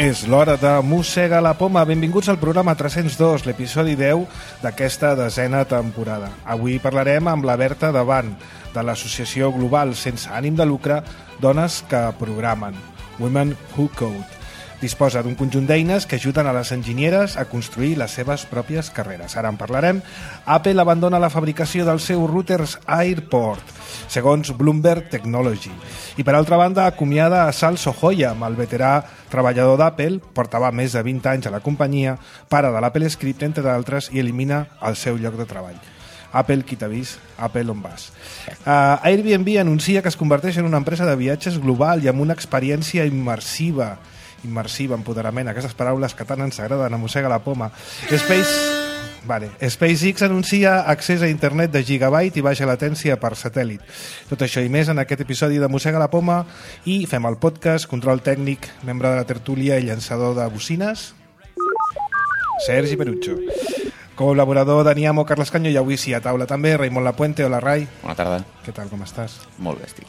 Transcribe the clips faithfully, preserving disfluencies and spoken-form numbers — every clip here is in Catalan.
És l'hora de Mossega la Poma. Benvinguts al programa tres-cents dos, l'episodi deu d'aquesta desena temporada. Avui parlarem amb la Berta Davant, de l'associació global sense ànim de lucre Dones que Programen, Women Who Code. Disposa d'un conjunt d'eines que ajuden a les enginyeres a construir les seves pròpies carreres. Ara en parlarem. Apple abandona la fabricació dels seus routers AirPort, segons Bloomberg Technology. I per altra banda, acomiada a Sal Sohoyam, el veterà treballador d'Apple, portava més de vint anys a la companyia, pare de l'Apple Script, entre d'altres, i elimina el seu lloc de treball. Apple, qui t'ha vist? Apple, on vas? Uh, Airbnb anuncia que es converteix en una empresa de viatges global i amb una experiència immersiva. immersiva, empoderament, aquestes paraules que tant ens agraden a Mossega la Poma. Space... Vale. SpaceX anuncia accés a internet de gigabyte i baixa latència per satèl·lit. Tot això i més en aquest episodi de Mossega la Poma, i fem el podcast, control tècnic, membre de la tertúlia i llançador de bocines, Sergi Perucho. Col·laborador Dani Amo, Carles Canyo, i avui sí a taula també, Raimon Lapuente. Hola, Rai. Bona tarda. Què tal, com estàs? Molt bé, estic.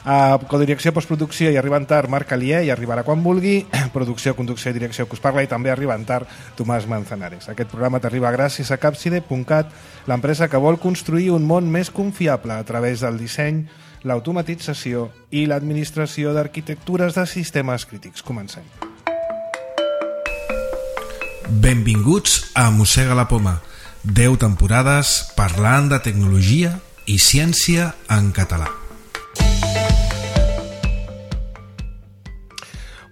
Uh, codirecció, postproducció i arribant tard, Marc Alier, i arribarà quan vulgui. Producció, conducció i direcció que us parla, i també arribant tard, Tomàs Manzanares. Aquest programa t'arriba gràcies a Capside punt cat, l'empresa que vol construir un món més confiable a través del disseny, l'automatització i l'administració d'arquitectures de sistemes crítics. Comencem. Benvinguts a Mossega la Poma. deu temporades parlant de tecnologia i ciència en català.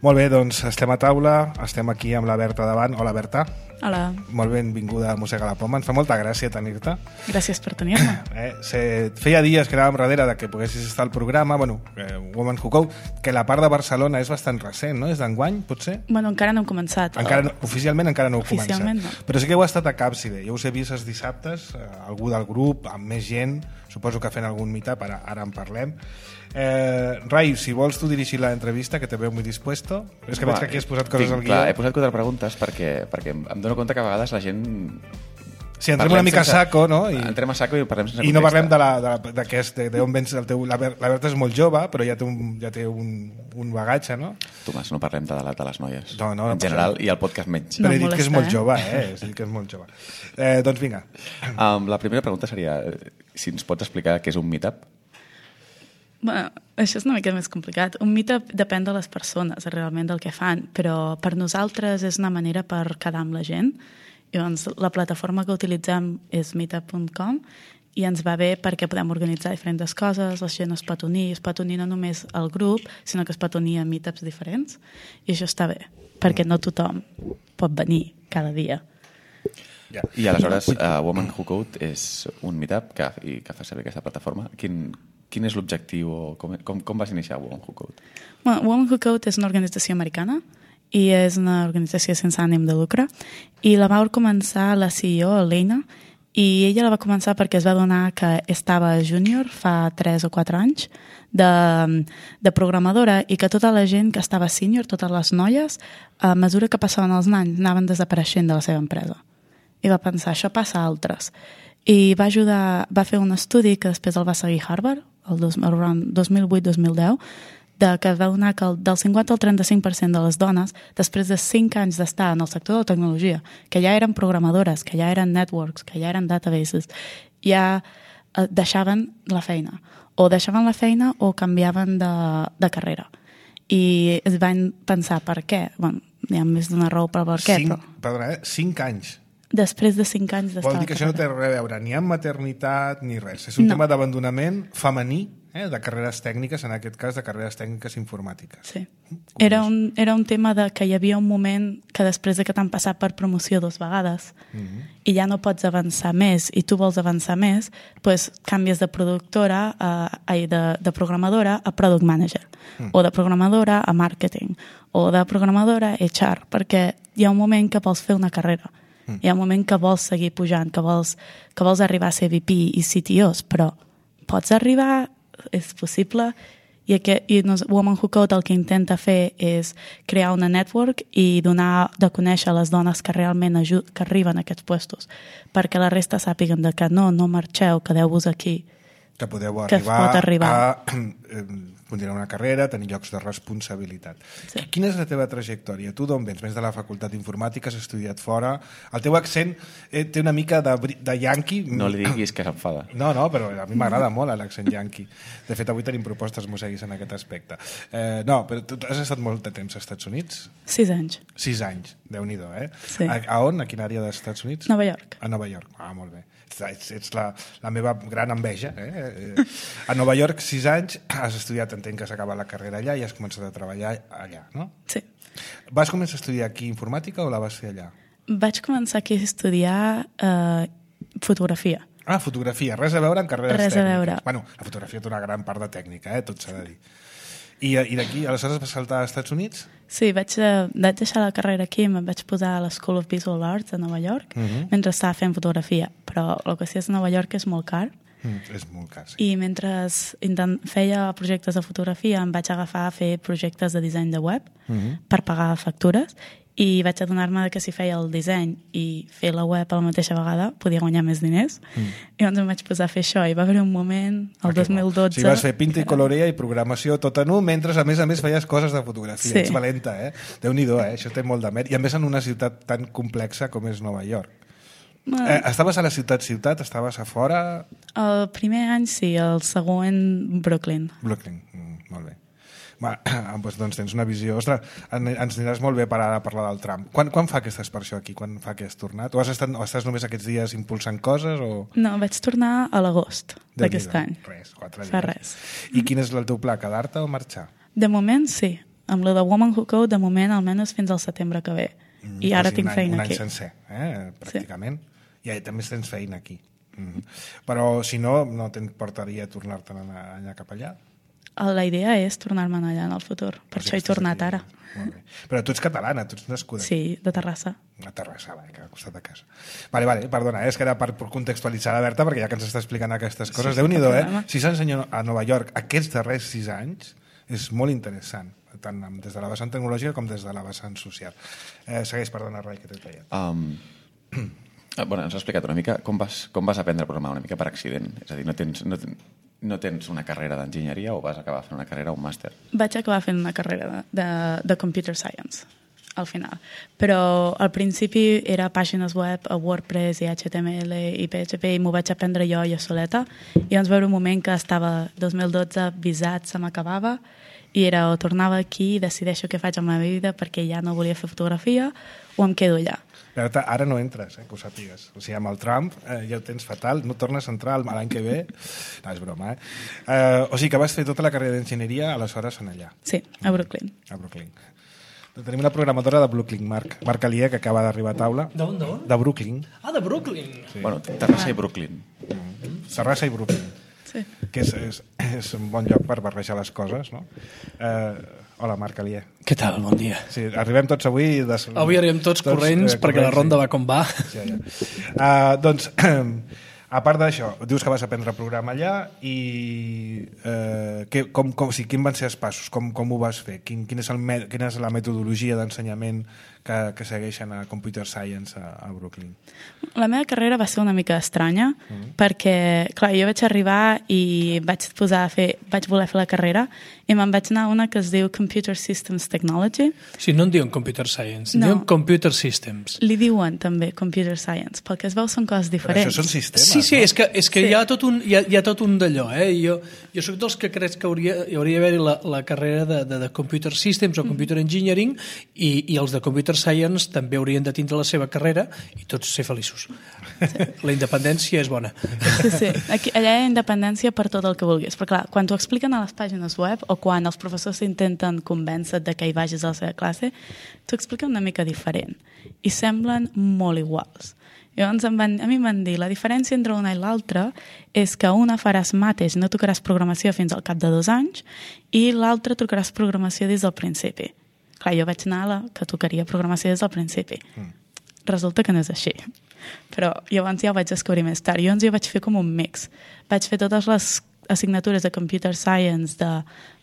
Molt bé, doncs estem a taula, estem aquí amb la Berta Davant. Hola, Berta. Hola. Molt benvinguda a Mossega la Poma. Ens fa molta gràcia tenir-te. Gràcies per tenir-me. Eh, se, feia dies que anàvem darrere de que poguessis estar al programa, bueno, eh, Women Who Code, que la part de Barcelona és bastant recent, no? És d'enguany, potser? Bueno, encara no hem començat. Encara no, oficialment encara no heu Oficialment començat. No. Però sí que heu estat a Capside. Jo us he vist els dissabtes, eh, algú del grup, amb més gent, suposo que fent algun meetup, ara, ara en parlem. Eh, Rai, si vols tu dirigir l'entrevista, que te veu muy dispuesto. És que veig que aquí has posat coses tinc, al guió. Clar, he posat quatre preguntes perquè, perquè em dono compte que a vegades la gent... Sí, entrem una mica sense, a saco, no? I, entrem a saco i parlem sense i context. no parlem de, la, de, la, de, què és, de, de on vens el teu... La, Ber, la Berta és molt jove, però ja té un, ja té un, un bagatge, no? Tomàs, no parlem de l'edat de les noies. No, no, en general, i el podcast menys. Però No he dit molesta, que és molt eh? jove, eh? He dit que és molt jove. Eh, doncs vinga. Um, la primera pregunta seria si ens pots explicar què és un meetup? Bueno, això és una mica més complicat. Un meetup depèn de les persones, realment, del que fan, però per nosaltres és una manera per quedar amb la gent. I doncs la plataforma que utilitzem és meetup punt com i ens va bé perquè podem organitzar diferents coses, la gent es pot unir, es pot unir no només al grup, sinó que es pot unir a meetups diferents, i això està bé, perquè no tothom pot venir cada dia. Ja. I aleshores, uh, Women Who Code és un meetup que, i que fa servir aquesta plataforma. Quin, quin és l'objectiu o com, com, com vas iniciar Women Who Code? Bueno, Women Who Code és una organització americana i és una organització sense ànim de lucre, i la va començar la C E O, Elena, i ella la va començar perquè es va adonar que estava júnior fa tres o quatre anys de, de programadora, i que tota la gent que estava sènior, totes les noies, a mesura que passaven els anys, anaven desapareixent de la seva empresa. I va pensar, això passa a altres. I va ajudar, va fer un estudi que després el va seguir Harvard, el dos, el dos mil vuit dos mil deu, de que va donar que el, del cinquanta al trenta-cinc per cent de les dones, després de cinc anys d'estar en el sector de la tecnologia, que ja eren programadores, que ja eren networks, que ja eren databases, ja eh, deixaven la feina. O deixaven la feina o canviaven de, de carrera. I es van pensar, per què? Bueno, hi ha més d'una raó per per què, Cinc, però... perdona, eh? Cinc anys. Després de cinc anys d'estar Vol dir que això no té res a veure ni amb maternitat ni res. És un No. tema d'abandonament femení, eh? de carreres tècniques, en aquest cas de carreres tècniques informàtiques. Sí. Era un, era un tema de que hi havia un moment que després de que t'han passat per promoció dues vegades Mm-hmm. i ja no pots avançar més i tu vols avançar més, doncs canvies de productora, a, ai, de, de programadora a product manager, mm. o de programadora a marketing, o de programadora a H R, perquè hi ha un moment que vols fer una carrera. Mm. Hi ha un moment que vols seguir pujant, que vols, que vols arribar a ser V P i C T Os, però pots arribar, és possible, i, aquest, i nos, Women Who Code el que intenta fer és crear una network i donar de conèixer a les dones que realment ajud, que arriben a aquests puestos, perquè la resta sàpiguen de que no, no marxeu, quedeu-vos aquí, Que podeu que arribar, pot arribar. a eh, continuar una carrera, tenir llocs de responsabilitat. Sí. Quina és la teva trajectòria? Tu d'on vens? Vens de la facultat d'informàtica, has estudiat fora. El teu accent eh, té una mica de, bri- de yanqui. No li diguis que s'enfada. No, no, però a mi m'agrada molt l'accent yanqui. De fet, avui tenim propostes mosseguis en aquest aspecte. Eh, no, però tu has estat molt de temps als Estats Units? Sis anys. Sis anys, Déu-n'hi-do, eh? Sí. A, a on? A quina àrea dels Estats Units? Nova York. A Nova York, ah, molt bé. Ets, ets la, la meva gran enveja. Eh? A Nova York, sis anys, has estudiat, entenc que s'ha acabat la carrera allà i has començat a treballar allà, no? Sí. Vas començar a estudiar aquí informàtica o la vas fer allà? Vaig començar aquí a estudiar eh, fotografia. Ah, fotografia, res a veure amb carreres Res a tècniques. veure. Bueno, la fotografia té una gran part de tècnica, eh? Tot s'ha de dir. I, i d'aquí, aleshores vas saltar als Estats Units? Sí, vaig, eh, vaig deixar la carrera aquí i em vaig posar a l'School of Visual Arts a Nova York uh -huh. mentre estava fent fotografia. Però el que sí és a Nova York és molt car. Mm, és molt car, sí. I mentre intent, feia projectes de fotografia em vaig agafar a fer projectes de disseny de web uh -huh. per pagar factures i vaig adonar-me que si feia el disseny i fer la web a la mateixa vegada podia guanyar més diners. Mm. I llavors em vaig posar a fer això i va haver un moment, el dos mil dotze... O sigui, vas fer pinta i colorea i programació tot en un, mentre a més a més feies coses de fotografia. Sí. Ets valenta, eh? Déu-n'hi-do, eh? Això té molt de mèrit. I a més en una ciutat tan complexa com és Nova York. Bueno, Eh, estaves a la ciutat-ciutat? Estaves a fora? el primer any sí, el següent Brooklyn. Brooklyn, mm, molt bé. Va, doncs, doncs tens una visió... Ostres, en, ens aniràs molt bé per ara a parlar del Trump. Quan, quan fa que estàs per això aquí? Quan fa que has tornat? O, has estat, o estàs només aquests dies impulsant coses? O... No, vaig tornar a l'agost d'aquest any. Res, quatre dies. Fa res. I quin és el teu pla? Quedar-te o marxar? De moment, sí. Amb lo de Woman Who Code, de moment, almenys fins al setembre que ve. Mm, I ara quasi tinc un any, feina un aquí. any sencer, eh? Pràcticament. Sí. I també tens feina aquí. Mm. Però, si no, no t'importaria tornar-te'n allà, allà cap allà? La idea és tornar-me'n allà en el futur. Per Però això he estàs tornat aquí. ara. Molt bé. Però tu ets catalana, tu ets nascuda. Sí, de Terrassa. A Terrassa, va, que al costat de casa. Vale, vale, perdona, eh? És que era per, per contextualitzar la Berta, perquè ja que ens està explicant aquestes coses, sí, Déu-n'hi-do, eh? Si s'ensenya a Nova York aquests darrers sis anys, és molt interessant, tant des de la vessant tecnològica com des de la vessant social. Eh, segueix, perdona, Rai, que t'he tallat. Um, bueno, ens has explicat una mica com vas, com vas aprendre a programar una mica per accident. És a dir, no tens, no, ten, no tens una carrera d'enginyeria o vas acabar fent una carrera o un màster? Vaig acabar fent una carrera de, de, de Computer Science, al final. Però al principi era pàgines web a WordPress i H T M L i P H P i m'ho vaig aprendre jo jo soleta. I llavors veure un moment que estava dos mil dotze, visat, se m'acabava i era o tornava aquí i decideixo què faig amb la meva vida perquè ja no volia fer fotografia o em quedo allà. Berta, ara no entres, eh, que ho sàpigues. O sigui, amb el Trump eh, ja ho tens fatal, no tornes a entrar l'any que ve. No, és broma, eh? eh? O sigui que vas fer tota la carrera d'enginyeria aleshores en allà. Sí, a Brooklyn. A Brooklyn. Tenim una programadora de Brooklyn, Marc. Marc Alier, que acaba d'arribar a taula. D'on, d'on? De Brooklyn. Ah, de Brooklyn. Sí. Bueno, Terrassa i Brooklyn. Mm. Terrassa i Brooklyn. Sí. Que és, és, és un bon lloc per barrejar les coses, no? Eh, hola, Marc Alier. Què tal? Bon dia. Sí, arribem tots avui... De... Avui arribem tots, tots corrents, eh, perquè corrents, la ronda sí. va com va. Sí, ja. uh, doncs, a part d'això, dius que vas aprendre a programar allà i eh, que, com, com, o sigui, quin van ser els passos? Com, com ho vas fer? Quin, quin és el, quina és la metodologia d'ensenyament que, que segueixen a Computer Science a, a Brooklyn? La meva carrera va ser una mica estranya mm. perquè, clar, jo vaig arribar i vaig posar a fer, vaig voler fer la carrera i me'n vaig anar a una que es diu Computer Systems Technology. Sí, no en diuen Computer Science, no. diuen Computer Systems. Li diuen també Computer Science, perquè es veu són coses diferents. Però això són sistemes, Sí, sí, no? és que, és que sí. hi ha tot un, hi ha, hi ha tot un d'allò. Eh? Jo, jo soc dels que crec que hauria, hi hauria d'haver la, la carrera de, de, de Computer Systems o Computer Engineering i, i els de Computer Science també haurien de tindre la seva carrera i tots ser feliços. Sí. La independència és bona. Sí, sí. Aquí, allà hi ha independència per tot el que vulguis. Però clar, quan t'ho expliquen a les pàgines web o quan els professors s'intenten convèncer de que hi vagis a la seva classe, t'ho expliquen una mica diferent. I semblen molt iguals. Llavors em van, a mi em van dir la diferència entre una i l'altra és que una faràs mates i no tocaràs programació fins al cap de dos anys i l'altra tocaràs programació des del principi. Clar, jo vaig anar a la que tocaria programació des del principi. Mm. Resulta que no és així. Però llavors ja ho vaig descobrir més tard. Llavors jo vaig fer com un mix. Vaig fer totes les assignatures de Computer Science de,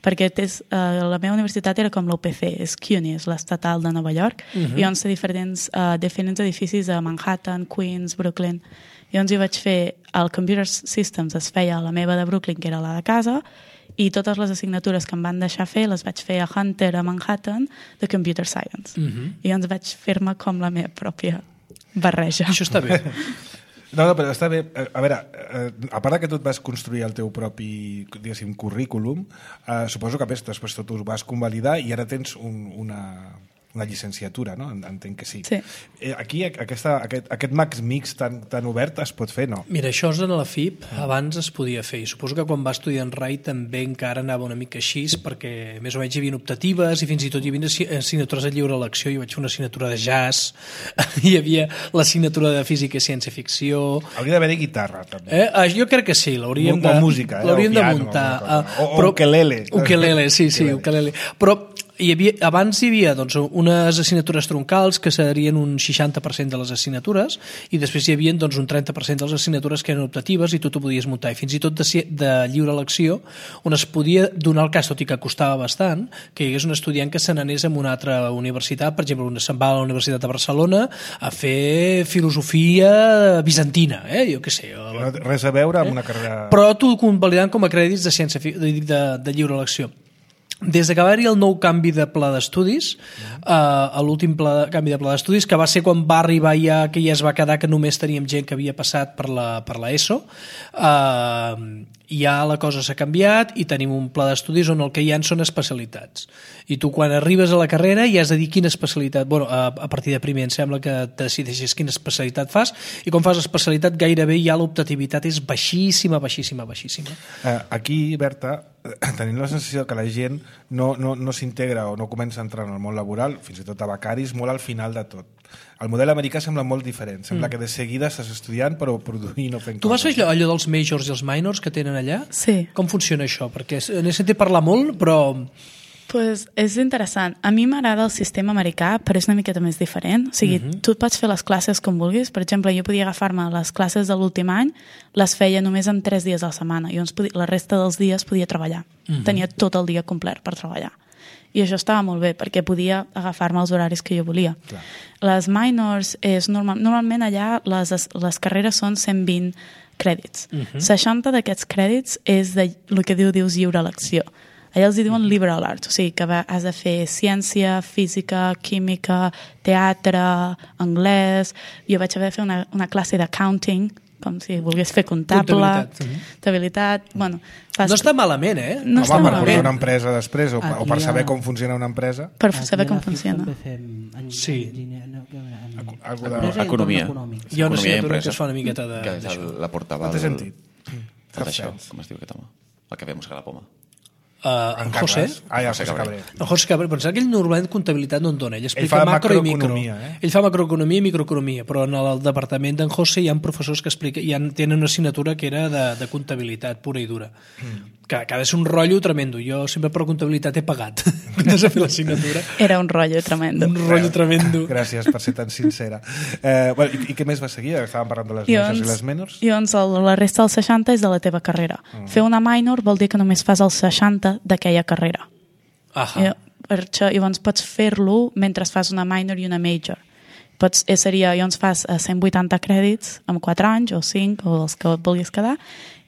perquè tes, uh, la meva universitat era com l'U P C, és CUNY, és l'estatal de Nova York, uh-huh. i on sé diferents, uh, diferents edificis a Manhattan, Queens, Brooklyn. Llavors jo vaig fer, el Computer Systems es feia a la meva de Brooklyn, que era la de casa, i totes les assignatures que em van deixar fer les vaig fer a Hunter, a Manhattan, de Computer Science. Uh-huh. I llavors vaig fer-me com la meva pròpia barreja. Això està bé. No, no, però està bé. A veure, a part que tu et vas construir el teu propi, diguéssim, currículum, eh, suposo que després tot ho vas convalidar i ara tens un, una, una llicenciatura, no? Entenc que sí. Sí. Aquí aquesta, aquest, aquest Max Mix tan, tan obert es pot fer, no? Mira, això és en la F I P, abans es podia fer, i suposo que quan va estudiar en Rai també encara anava una mica així, perquè més o menys hi havia optatives i fins i tot hi havia assignatures de lliure elecció. Jo vaig fer una assignatura de jazz, hi havia l'assignatura de física i ciència-ficció... Hauria d'haver-hi guitarra, també. Eh? Ah, jo crec que sí, l'hauríem de, música, eh? l'hauríem o piano, de muntar. O, o, o però, ukelele. Ukelele, sí, sí, ukelele. Però hi havia, abans hi havia doncs, unes assignatures troncals que serien un seixanta per cent de les assignatures i després hi havia doncs, un trenta per cent de les assignatures que eren optatives i tu t'ho podies muntar. I fins i tot de, de lliure elecció, on es podia donar el cas, tot i que costava bastant, que hi hagués un estudiant que se n'anés a una altra universitat, per exemple, se'n va a la Universitat de Barcelona a fer filosofia bizantina, eh? Jo què sé. No, res a veure amb una carrera... Però t'ho convalidant com a crèdits de, ciència, de, de, de lliure elecció. Des que va haver-hi el nou canvi de pla d'estudis, uh, l'últim pla, canvi de pla d'estudis, que va ser quan va arribar ja, que ja es va quedar que només teníem gent que havia passat per la, per la ESO, uh, ja la cosa s'ha canviat i tenim un pla d'estudis on el que hi ha són especialitats. I tu quan arribes a la carrera ja has de dir quina especialitat, bueno, a, a partir de primer em sembla que decideixes quina especialitat fas i quan fas especialitat gairebé ja l'optativitat és baixíssima, baixíssima, baixíssima. Uh, aquí, Berta, tenim la sensació que la gent no, no, no s'integra o no comença a entrar en el món laboral, fins i tot a becaris, molt al final de tot. El model americà sembla molt diferent. Sembla mm. que de seguida estàs estudiant però produint o fent tu coses. Tu vas fer allò, allò dels majors i els minors que tenen allà? Sí. Com funciona això? Perquè n'he sentit parlar molt, però... Pues és interessant. A mi m'agrada el sistema americà, però és una miqueta més diferent. O sigui, uh-huh. tu et pots fer les classes com vulguis. Per exemple, jo podia agafar-me les classes de l'últim any, les feia només en tres dies a la setmana. I llavors podia, la resta dels dies podia treballar. Uh-huh. Tenia tot el dia complet per treballar. I això estava molt bé, perquè podia agafar-me els horaris que jo volia. Clar. Les minors, és normal, normalment allà les, les carreres són cent vint crèdits. Uh-huh. seixanta d'aquests crèdits és de, el que diu, dius lliure elecció. Allà els diuen liberal arts, o sigui que has de fer ciència, física, química, teatre, anglès... Jo vaig haver de fer una, una classe d'accounting, com si volgués fer comptable, comptabilitat... Uh-huh. Bueno, fas... No està malament, eh? No Home, està per malament. portar una empresa després, o, o per saber com funciona una empresa. Per saber com funciona. Sí. Economia. Hi ha una assignatura que es fa una miqueta de... Que és la portava... No té sentit. Tot això, com es diu aquest home? El que ve a moscar la poma. Uh, en José. Ah, ja, José Cabré. El José Cabré, pensava que ell normalment comptabilitat no en dona. Ell explica ell fa macro i micro. Eh? Ell fa macroeconomia i microeconomia, però en el departament d'en José hi ha professors que expliquen, hi ha, tenen una assignatura que era de, de comptabilitat pura i dura. Mm. Que, que ha de ser un rotllo tremendo. Jo sempre per comptabilitat he pagat quan has de fer l'assignatura. Era un rotllo tremendo. Un rotllo tremendo. Gràcies per ser tan sincera. Eh, bueno, i, I què més va seguir? Estàvem parlant de les majors i les menors? I doncs el, la resta dels seixanta és de la teva carrera. Mm. Fer una minor vol dir que només fas el seixanta d'aquella carrera. Ahà. I, per això, llavors pots fer-lo mentre fas una minor i una major. Pots, eh, seria, llavors fas cent vuitanta crèdits en quatre anys o cinc o els que vulguis quedar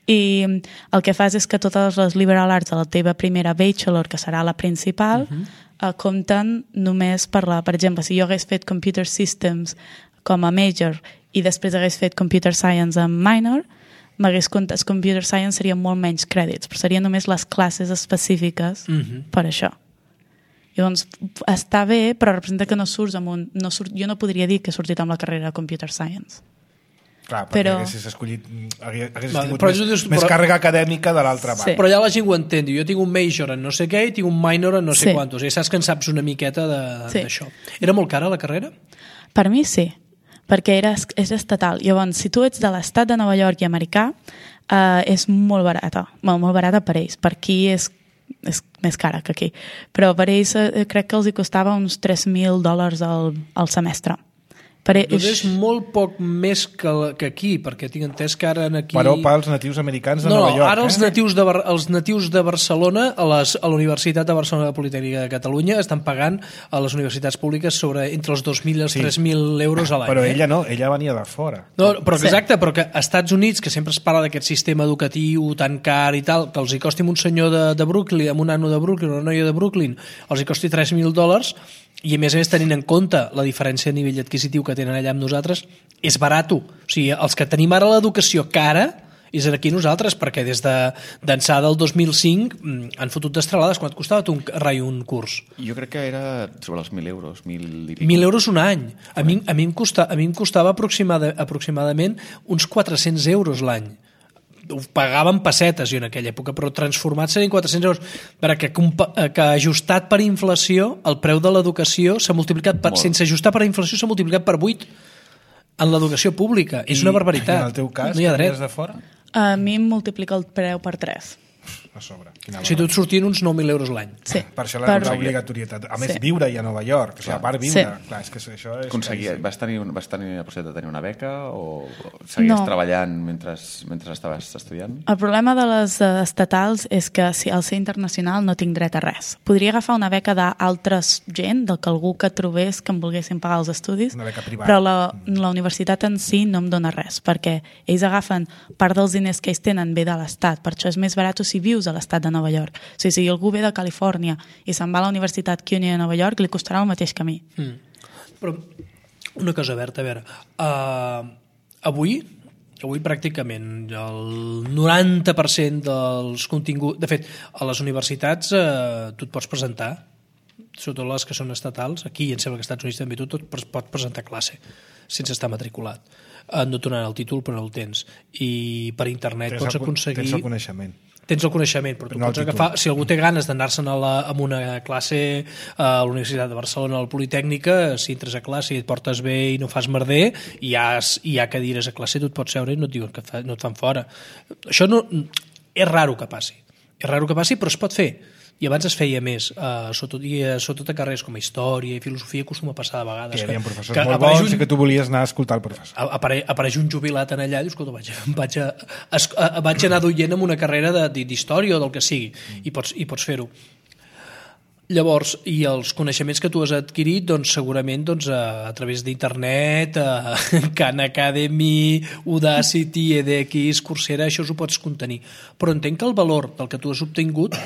i el que fas és que totes les liberal arts de la teva primera bachelor, que serà la principal, uh-huh. eh, compten només per la... Per exemple, si jo hagués fet Computer Systems com a major i després hagués fet Computer Science en minor, m'hagués comptat Computer Science serien molt menys crèdits, però serien només les classes específiques uh-huh. per això. Llavors, està bé, però representa que no surts amb un... No surt, jo no podria dir que he sortit amb la carrera de Computer Science. Clar, perquè però... haguessis escollit haguessis vale, tingut més, dius, més però... càrrega acadèmica de l'altra banda. Sí. Però ja la gent ho entén. Jo tinc un major en no sé què i tinc un minor en no sé sí. quantos. I saps que en saps una miqueta d'això. Sí. Era molt cara la carrera? Per mi sí, perquè era, és estatal. Llavors, si tu ets de l'estat de Nova York i americà, eh, és molt barata. Bueno, molt barata per ells. Per aquí és, és més cara que aquí. Però per ells eh, crec que els hi costava uns tres mil dòlars al, al semestre. Per Doncs és molt poc més que, que aquí, perquè tinc entès que ara aquí... Però pels natius americans de no, Nova York. Ara els, eh? natius de, els natius de Barcelona, a, les, a la Universitat de Barcelona de Politècnica de Catalunya, estan pagant a les universitats públiques sobre entre els dos mil i els sí. tres mil euros a l'any. Però eh? ella no, ella venia de fora. No, però exacte, però que als Estats Units, que sempre es parla d'aquest sistema educatiu tan car i tal, que els hi costi un senyor de, de Brooklyn, amb un nano de Brooklyn, una noia de Brooklyn, els hi costi tres mil dòlars, i a més a més tenint en compte la diferència de nivell adquisitiu que tenen allà amb nosaltres, és barato. O sigui, els que tenim ara l'educació cara és aquí nosaltres, perquè des de d'ençà del dos mil cinc han fotut destralades. Quant et costava tu un, rai, un curs? Jo crec que era sobre els mil euros. Mil, i mil euros un any. A mi, a mi, em, costa, a mi em costava aproximada, aproximadament uns quatre-cents euros l'any. Ho pagaven pessetes jo en aquella època, però transformat serien quatre-cents euros, perquè que ajustat per inflació el preu de l'educació s'ha multiplicat per, sense ajustar per inflació s'ha multiplicat per vuit en l'educació pública. I, és una barbaritat. I en el teu cas, no hi ha dret. de fora? A mi em multiplica el preu per tres. A sobre. O sigui, tu et sortien uns nou mil euros l'any. Sí. Per això la per... obligatorietat. A més, sí. viure ja a Nova York. O sigui, a part viure. Sí. Clar, és que això és... Aconseguia, vas, tenir, vas tenir la possibilitat de tenir una beca o seguies no. treballant mentre, mentre estaves estudiant? El problema de les estatals és que si al ser internacional no tinc dret a res. Podria agafar una beca d'altres gent, del que algú que trobés que em volguessin pagar els estudis, una beca privada. Però la, la universitat en si no em dona res, perquè ells agafen part dels diners que ells tenen ve de l'Estat, per això és més barat si vius a l'Estat de Nova York. O sigui, si algú ve de Califòrnia i se'n va a la Universitat CUNY de Nova York, li costarà el mateix que a mi. Mm. Però una cosa, Berta, a veure, uh, avui, avui pràcticament el noranta per cent dels continguts... De fet, a les universitats uh, tu et pots presentar, sobretot les que són estatals, aquí em sembla que als Estats Units també tu tot pots presentar classe sense estar matriculat. Uh, no et donaran el títol, però no el tens. I per internet tens pots el, aconseguir... Tens el coneixement. Tens el coneixement, però tu no pots agafar... Si algú té ganes d'anar-se'n a, la, a una classe a la Universitat de Barcelona, a la Politècnica, si entres a classe i et portes bé i no fas merder, i hi ha, hi ha cadires a classe, tu et pots seure i no et diuen que fa, no et fan fora. Això no, és raro que passi. És raro que passi, però es pot fer. I abans es feia més, uh, sobretot, i, uh, sobretot a carrers com a història i filosofia acostuma a passar de vegades. Que hi havia professors que molt bons un, i que tu volies anar a escoltar el professor. Apare, apareix un jubilat en allà i dius, escolta, vaig, vaig, a, a, a, vaig anar duient amb una carrera d'història o del que sigui, mm. i pots, i pots fer-ho. Llavors, i els coneixements que tu has adquirit, doncs segurament doncs, a, a través d'internet, a Khan Academy, Udacity, edX, Coursera, això ho pots contenir. Però entenc que el valor del que tu has obtingut,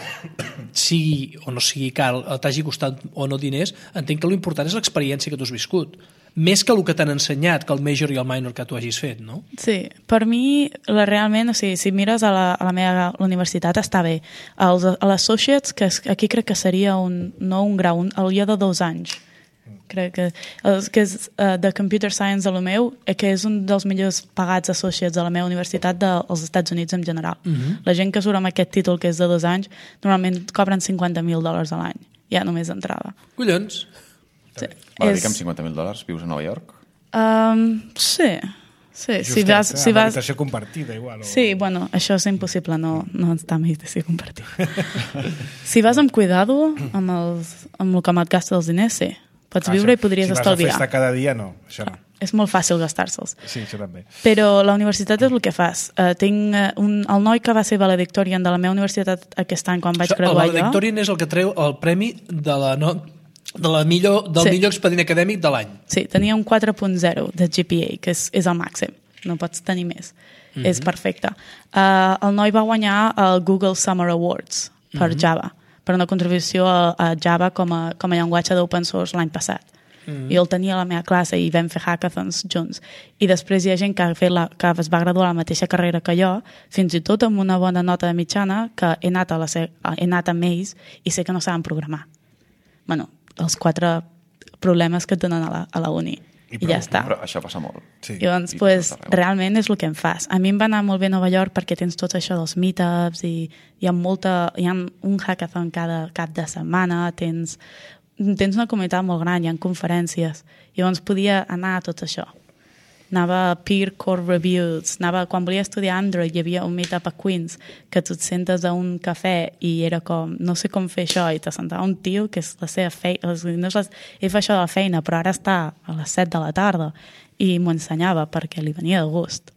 sigui o no sigui car, t'hagi costat o no diners, entenc que l'important és l'experiència que tu has viscut. Més que el que t'han ensenyat, que el major i el minor que tu hagis fet, no? Sí, per mi, la, realment, o sigui, si mires a la, a la meva la universitat, està bé. Els, a l'Associates, que és, aquí crec que seria un, no un grau, un, el dia de dos anys. Crec que, el, que és uh, de Computer Science a lo meu, que és un dels millors pagats Associates a la meva universitat dels Estats Units en general. Uh-huh. La gent que surt amb aquest títol, que és de dos anys, normalment cobren cinquanta mil dòlars a l'any, ja només d'entrada. Collons! Sí. Val a dir És... que amb cinquanta mil dòlars vius a Nova York? Um, sí, sí. Justet, si vas, eh? si vas... Habitació compartida, igual. O... Sí, bueno, això és impossible, no, no està en habitació compartida. Si vas amb cuidado, amb, els, amb el que et gasta els diners, sí. Pots ah, viure això. I podries si estalviar. Si vas a festa cada dia, no. Això no. És molt fàcil gastar-se'ls. Sí, això també. Però la universitat és el que fas. Uh, tinc uh, un, el noi que va ser valedictorian de la meva universitat aquest any, quan vaig això, graduar jo... El valedictorian és el que treu el premi de la... No... De la millor, del sí. millor expedient acadèmic de l'any. Sí, tenia un quatre punt zero de G P A, que és, és el màxim, no pots tenir més. Mm-hmm. És perfecte. Uh, el noi va guanyar el Google Summer Awards per mm-hmm. Java, per una contribució a, a Java com a, com a llenguatge d'open source l'any passat. Mm-hmm. I el tenia a la meva classe i vam fer hackathons junts. I després hi ha gent que, ha fet la, que es va graduar a la mateixa carrera que jo, fins i tot amb una bona nota de mitjana, que he anat, a la, he anat amb ells i sé que no saben programar. Bueno, els quatre problemes que tenen a la, a la uni. I, I ja està. Però això passa molt. Sí. I llavors, I pues, realment és el que em fas. A mi em va anar molt bé a Nova York perquè tens tot això dels meetups i hi ha, molta, hi ha un hackathon cada cap de setmana, tens, tens una comunitat molt gran, hi ha conferències. I llavors podia anar a tot això. anava a Peer Core Reviews, anava, quan volia estudiar Android hi havia un meetup a Queens que tu et sentes a un cafè i era com, no sé com fer això, i te sentava un tio que és la seva feina, no és la, ell fa això de la feina, però ara està a les set de la tarda i m'ho ensenyava perquè li venia de gust.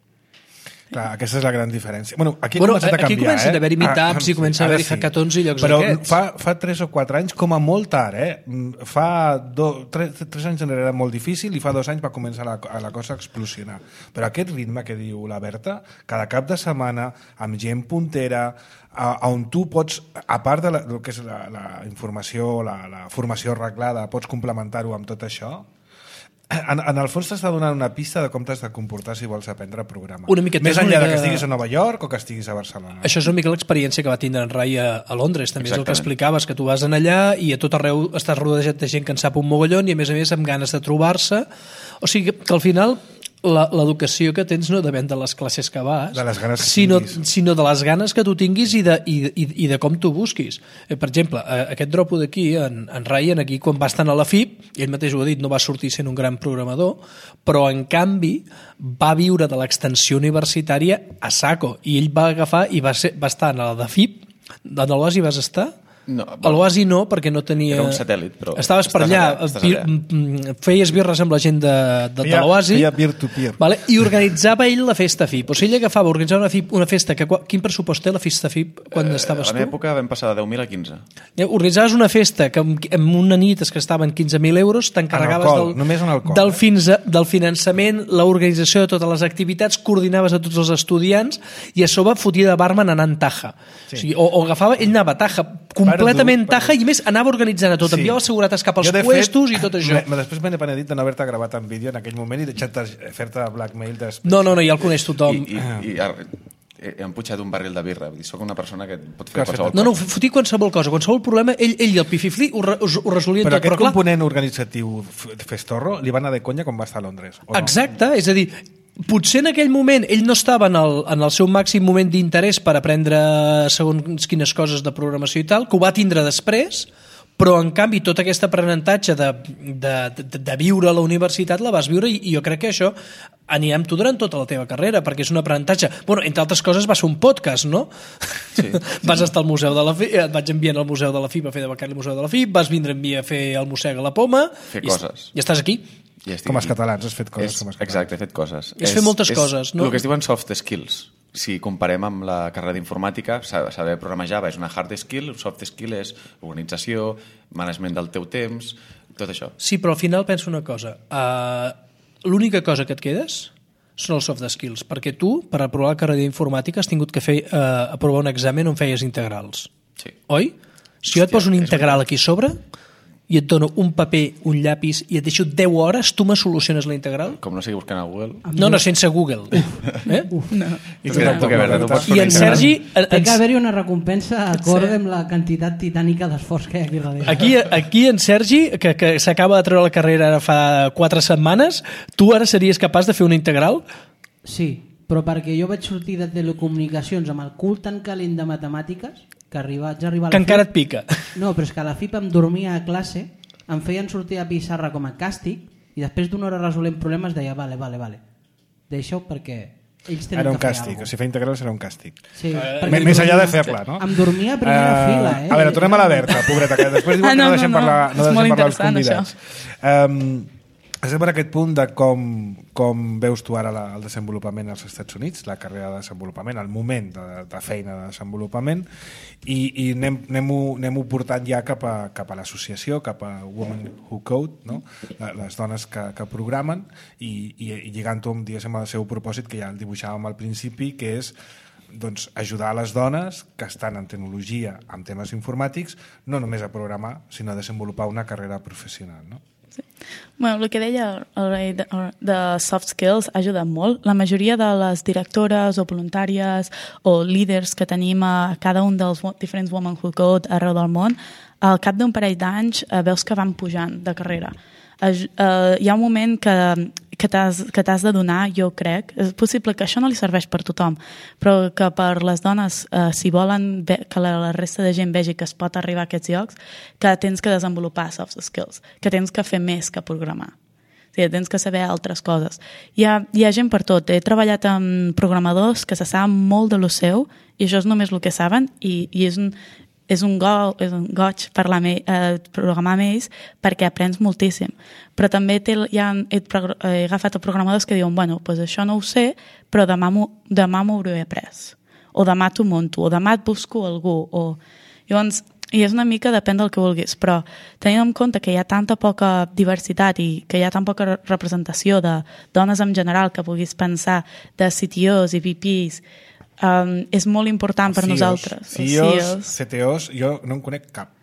Clar, aquesta és la gran diferència. Bueno, aquí bueno, ha començat a canviar, aquí comencen eh? a haver-hi meetups i comencen a haver-hi sí. hackathons i llocs Però d'aquests. fa, fa tres o quatre anys, com a molt tard, eh? Fa do, tres, tres anys enrere era molt difícil i fa dos anys va començar la, la cosa a explosionar. Però aquest ritme que diu la Berta, cada cap de setmana, amb gent puntera, a, on tu pots, a part de la, del que és la, la informació, la, la formació arreglada, pots complementar-ho amb tot això. En, en el fons t'està donant una pista de com t'has de comportar si vols aprendre a programar. Una miqueta, Més és enllà una de que mica- estiguis a Nova York o que estiguis a Barcelona. Això és una mica l'experiència que va tindre en Rai a, a Londres, també és el que Exactament. explicaves, que tu vas en allà i a tot arreu estàs rodejat de gent que en sap un mogollon i a més a més amb ganes de trobar-se. O sigui que al final la- l'educació que tens no depèn de les classes que vas, De les ganes que sinó, tinguis. sinó de les ganes que tu tinguis i de, i, i, i de com tu busquis. Eh, per exemple, eh, aquest dropo d'aquí, en, en Ryan, aquí quan va estar a la F I P, ell mateix ho ha dit, no va sortir sent un gran programador, però en canvi va viure de l'extensió universitària a saco, i ell va agafar i va, ser, va estar a la de F I P. A l'Oasi vas estar? No, A l'Oasi no, perquè no tenia... Era un satèl·lit, però... Estaves per estàs allà, allà, estàs pi- allà. mm, feies birres amb la gent de, de, de Feia- l'Oasi, feia peer-to-peer. vale? I organitzava ell la festa F I P. O sigui, ell agafava, organitzava una, F I P, una festa, que, qua- quin pressupost té la festa F I P quan Eh, estaves a la meva tu? època vam passar de deu mil a quinze. Eh, Organitzaves una festa que amb, amb una nit es gastaven quinze mil euros, t'encarregaves En alcohol, del, només en alcohol, del, eh? fins a, del finançament, l'organització de totes les activitats, coordinaves a tots els estudiants i a sobre fotia de barman anant taja. Sí. O, sigui, o, o agafava, ell anava taja, completament Perdut, taja, i a més anava organitzant a tot, Sí. enviava seguretats cap als Jo, de puestos fet, i tot això. me- Després m'he penedit de no haver-te gravat en vídeo en aquell moment i deixar-te fer-te blackmail després. No, no, no, ja el coneix tothom. I, i, i ar- he, he emputxat un barril de birra. Vull dir, soc una persona que pot Que fer has fet qualsevol No, no, cosa. fotia qualsevol cosa, qualsevol problema, ell, ell i el pififli ho, re- us- ho resolien Però tot. aquest Però clar, component organitzatiu f- festorro li va anar de conya quan va estar a Londres. O no? exacte, és a dir, potser en aquell moment ell no estava en el, en el seu màxim moment d'interès per aprendre segons quines coses de programació i tal, que ho va tindre després, però en canvi tot aquest aprenentatge de, de, de, de viure a la universitat la vas viure i, i jo crec que això anirà amb tu durant tota la teva carrera, perquè és un aprenentatge. Bueno, entre altres coses va ser un podcast, no? Sí. Vas estar al Museu de la F I P, et vaig enviar al Museu de la F I P a fer de becari al Museu de la F I P, vas vindre amb mi a fer el Mossega a la Poma... Fer i, coses. I estàs aquí. I estic Com els aquí. catalans, has fet coses És, com els catalans. exacte, he fet coses. És fer moltes coses, no? El que es diuen soft skills. Si comparem amb la carrera d'informàtica, sa- saber programar Java és una hard skill, un soft skill és organització, management del teu temps, tot això. Sí, però al final penso una cosa. Uh, L'única cosa que et quedes són els soft skills, perquè tu, per aprovar la carrera d'informàtica, has tingut que fer, uh, aprovar un examen on feies integrals. Sí. Oi? Si jo et Hòstia, poso un és integral aquí a sobre i et dono un paper, un llapis i et deixo deu hores, tu me soluciones la integral? Com no sigui buscant a Google... No, no, sense Google. Eh? I Tu que- tu que veure, tu pots fer I una en integral. Sergi... en- Té en- que haver-hi una recompensa acord amb la quantitat titànica d'esforç que hi ha aquí darrere. Aquí, aquí en Sergi, que, que s'acaba de treure la carrera ara fa quatre setmanes, tu ara series capaç de fer una integral? Sí, però perquè jo vaig sortir de telecomunicacions amb el cul tan calent de matemàtiques que arriba, vaig arribar a la Que encara et F I pica. P. No, però és que a la F I P em dormia a classe, em feien sortir a pissarra com a càstig i després d'una hora resolent problemes deia vale, vale, vale. Deixa-ho perquè ells tenen Era un que fer càstig, alguna o sigui, fer integrals era un càstig. Sí, Eh, perquè M- Més em enllà de dormia- fer-la, no? Em dormia a primera Eh, fila, eh? A veure, tornem a la Berta, pobreta, que després diuen Ah, que no, no no, deixem no. parlar, no És molt deixem parlar els interessant, convidats. Um, estem per aquest punt de com, com veus tu ara la, el desenvolupament als Estats Units, la carrera de desenvolupament, el moment de, de feina de desenvolupament, i, i anem, anem-ho anem portant ja cap a, cap a l'associació, cap a Women Who Code, no? Les dones que, que programen, i, i, i lligant-ho amb, diguéssim, el seu propòsit, que ja el dibuixàvem al principi, que és doncs, ajudar a les dones que estan en tecnologia, en temes informàtics, no només a programar, sinó a desenvolupar una carrera professional, no? Bueno, el que deia el Ray de, de soft skills ha ajudat molt. La majoria de les directores o voluntàries o líders que tenim a cada un dels wo- diferents Women Who Code arreu del món, al cap d'un parell d'anys eh, veus que van pujant de carrera. Aj- eh, hi ha un moment que, que t'has que t'has de donar, jo crec. És possible que això no li serveix per tothom, però que per les dones, eh, si volen ve, que la, la resta de gent vegi que es pot arribar a aquests llocs, que tens que desenvolupar soft skills, que tens que fer més que programar. O sigui, tens que saber altres coses. Hi ha, hi ha gent per tot. He treballat amb programadors que se saben molt de lo seu i això és només el que saben i, i és un, és un, go, és un goig parlar amb, eh, programar amb ells perquè aprens moltíssim. Però també té, ja he, he agafat programadors que diuen bueno, pues això no ho sé, però demà m'ho demà m'ho hauré après. O demà t'ho monto, o demà et busco algú. O... Llavors, i és una mica depèn del que vulguis, però tenint en compte que hi ha tanta poca diversitat i que hi ha tan poca representació de dones en general que puguis pensar de C T Os i V Ps, um, és molt important per C E Os, nosaltres. C E Os, C T Os, jo no en conec cap.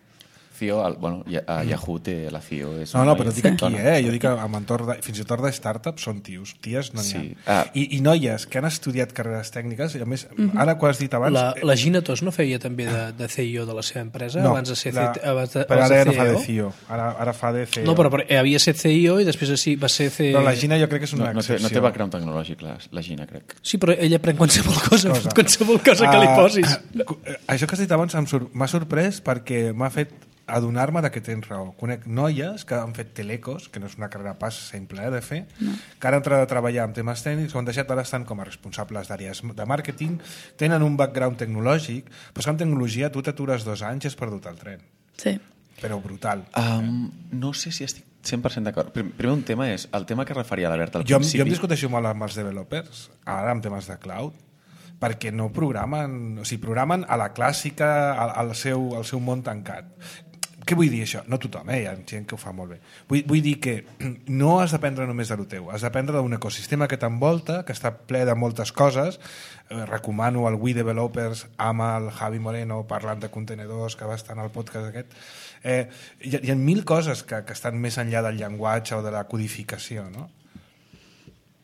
C E O, el, bueno, a Yahoo té la C E O. És No, no, però noi. dic aquí, eh? Jo dic amb entorn de, fins i tot de startups són tios. Ties no n'hi ha. Sí. Ah. I, I noies que han estudiat carreres tècniques, i a més, mm-hmm. ara que ho has dit abans... La, la Gina Tos no feia també de, de C E O de la seva empresa no, abans de ser la, abans de, però abans ara de no fa de C E O? C E O, ara, ara fa de C E O. No, però, però havia set C E O i després sí, va ser C E O. Però la Gina jo crec que és una No, no, té, excepció. no té background tecnològic, la, la Gina, crec. Sí, però ella pren qualsevol cosa, Cosa. qualsevol cosa que li posis. Uh, això que has dit abans m'ha sor sorprès perquè m'ha fet adonar-me que tens raó. Conec noies que han fet telecos, que no és una carrera pas simple eh, de fer, no. que han entrat a treballar amb temes tècnics, ho han deixat, ara estan com a responsables d'àrees de màrqueting, tenen un background tecnològic, però és que amb tecnologia tu t'atures dos anys i has perdut el tren. Sí. Però brutal. Um, no sé si estic cent per cent d'acord. Primer un tema és el tema que referia l'Albert al Jo, principi. jo em discuteixo molt amb els developers, ara amb temes de cloud, perquè no programen, o sigui, programen a la clàssica, al, al, seu, al seu món tancat. Què vull dir això? No tothom, eh? Hi ha gent que ho fa molt bé. Vull, vull dir que no has d'aprendre només de lo teu, has d'aprendre d'un ecosistema que t'envolta, que està ple de moltes coses. Eh, recomano el We Developers amb el Javi Moreno parlant de contenedors, que va estar en el podcast aquest. Eh, hi, ha, hi ha mil coses que, que estan més enllà del llenguatge o de la codificació, no?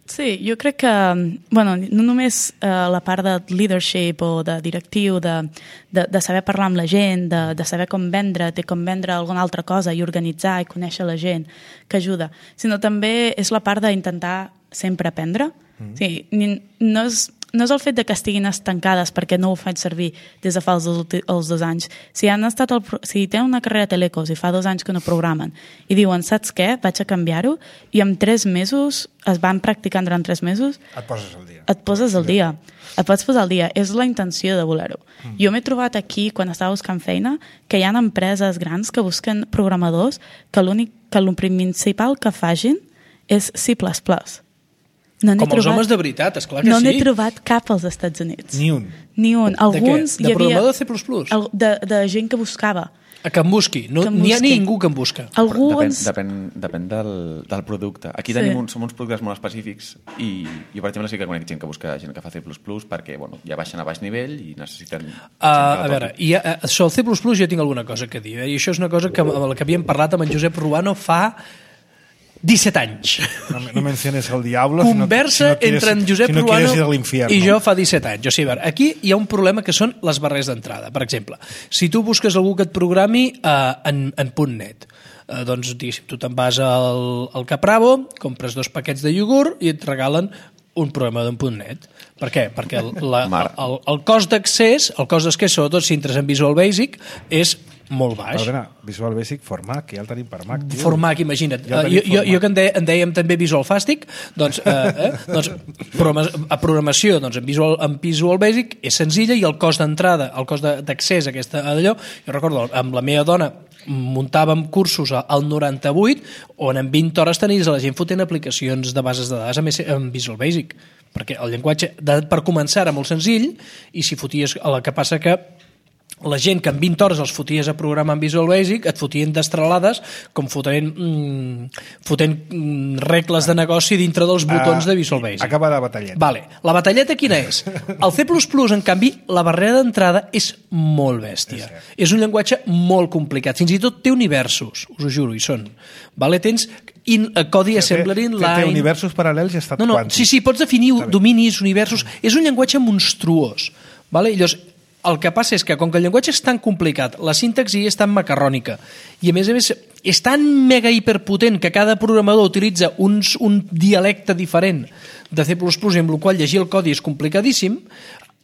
Sí, jo crec que, bueno, no només eh, la part de leadership o de directiu, de, de, de saber parlar amb la gent, de, de saber com vendre, de com vendre alguna altra cosa i organitzar i conèixer la gent, que ajuda, sinó també és la part d'intentar sempre aprendre. Mm. Sí, ni, no és... No és el fet de que estiguin estancades perquè no ho faig servir des de fa els, els dos anys. Si han estat el, si tenen una carrera de telecos i fa dos anys que no programen i diuen, saps què? Vaig a canviar-ho i en tres mesos es van practicant durant tres mesos Et poses al dia. et poses al dia. Et pots posar al dia. És la intenció de voler-ho. Mm. Jo m'he trobat aquí, quan estava buscant feina, que hi ha empreses grans que busquen programadors que l'únic que el principal que facin és C plus plus. No Com els trobat, homes de veritat, esclar que no sí. n'he trobat cap als Estats Units. Ni un. Ni un. Alguns de què? De hi havia... programador C plus plus? El, de, de gent que buscava. A que em busqui. No, Que em n'hi ha busqui. ningú que em busca. Algú Depèn, ens... depèn, depèn del, del producte. Aquí Sí. tenim uns, som uns productes molt específics i jo, per exemple, sí que conec gent que busca gent que fa C plus plus perquè bueno, ja baixen a baix nivell i necessiten... Uh, a veure, i, uh, sobre el C plus plus jo tinc alguna cosa que dir, eh? I això és una cosa que, amb la que havíem parlat amb en Josep Ruano fa disset anys. No, no menciones el diablo. Conversa si no, si no quieres, entre en Josep si no Ruano ir a l'infierno. i jo fa disset anys. O sigui, a veure, aquí hi ha un problema que són les barreres d'entrada. Per exemple, si tu busques algú que et programi uh, en, en .net, uh, doncs diguéssim, tu te'n vas al, al Capravo, compres dos paquets de iogurt i et regalen un programa d'en .net. Per què? Perquè el, la, el, el cost d'accés, el cost d'accés, sobretot si entres en Visual Basic, és molt baix. Perdona, Visual Basic for Mac, ja el tenim per Mac. Tio. For Mac, imagina't. Ja Uh, jo, jo, jo que en, de, en dèiem també Visual Fastic, doncs, uh, eh, doncs programa, a programació doncs, en, Visual, en Visual Basic és senzilla i el cost d'entrada, el cost d'accés a aquesta a allò, jo recordo, amb la meva dona muntàvem cursos al noranta-vuit on en vint hores tenies a la gent fotent aplicacions de bases de dades en Visual Basic, perquè el llenguatge de, per començar era molt senzill i si foties, el que passa que la gent que en vint hores els foties a programar en Visual Basic et fotien destralades com fotent, mm, fotent mm, regles de negoci dintre dels botons uh, de Visual Basic. Acaba la batalleta. Vale. La batalleta quina és? El C plus plus, en canvi, la barrera d'entrada és molt bèstia. És, és un llenguatge molt complicat. Fins i tot té universos, us ho juro, hi són. Vale? Tens in, uh, codi assembler inline... Té universos paral·lels i estat no, no, quàntic. sí, sí, pots definir dominis, universos... És un llenguatge monstruós. Vale? I llavors, el que passa és que, com que el llenguatge és tan complicat, la sintaxi és tan macarrònica, i a més a més és tan mega hiperpotent que cada programador utilitza uns, un dialecte diferent de C plus plus, i amb el qual llegir el codi és complicadíssim,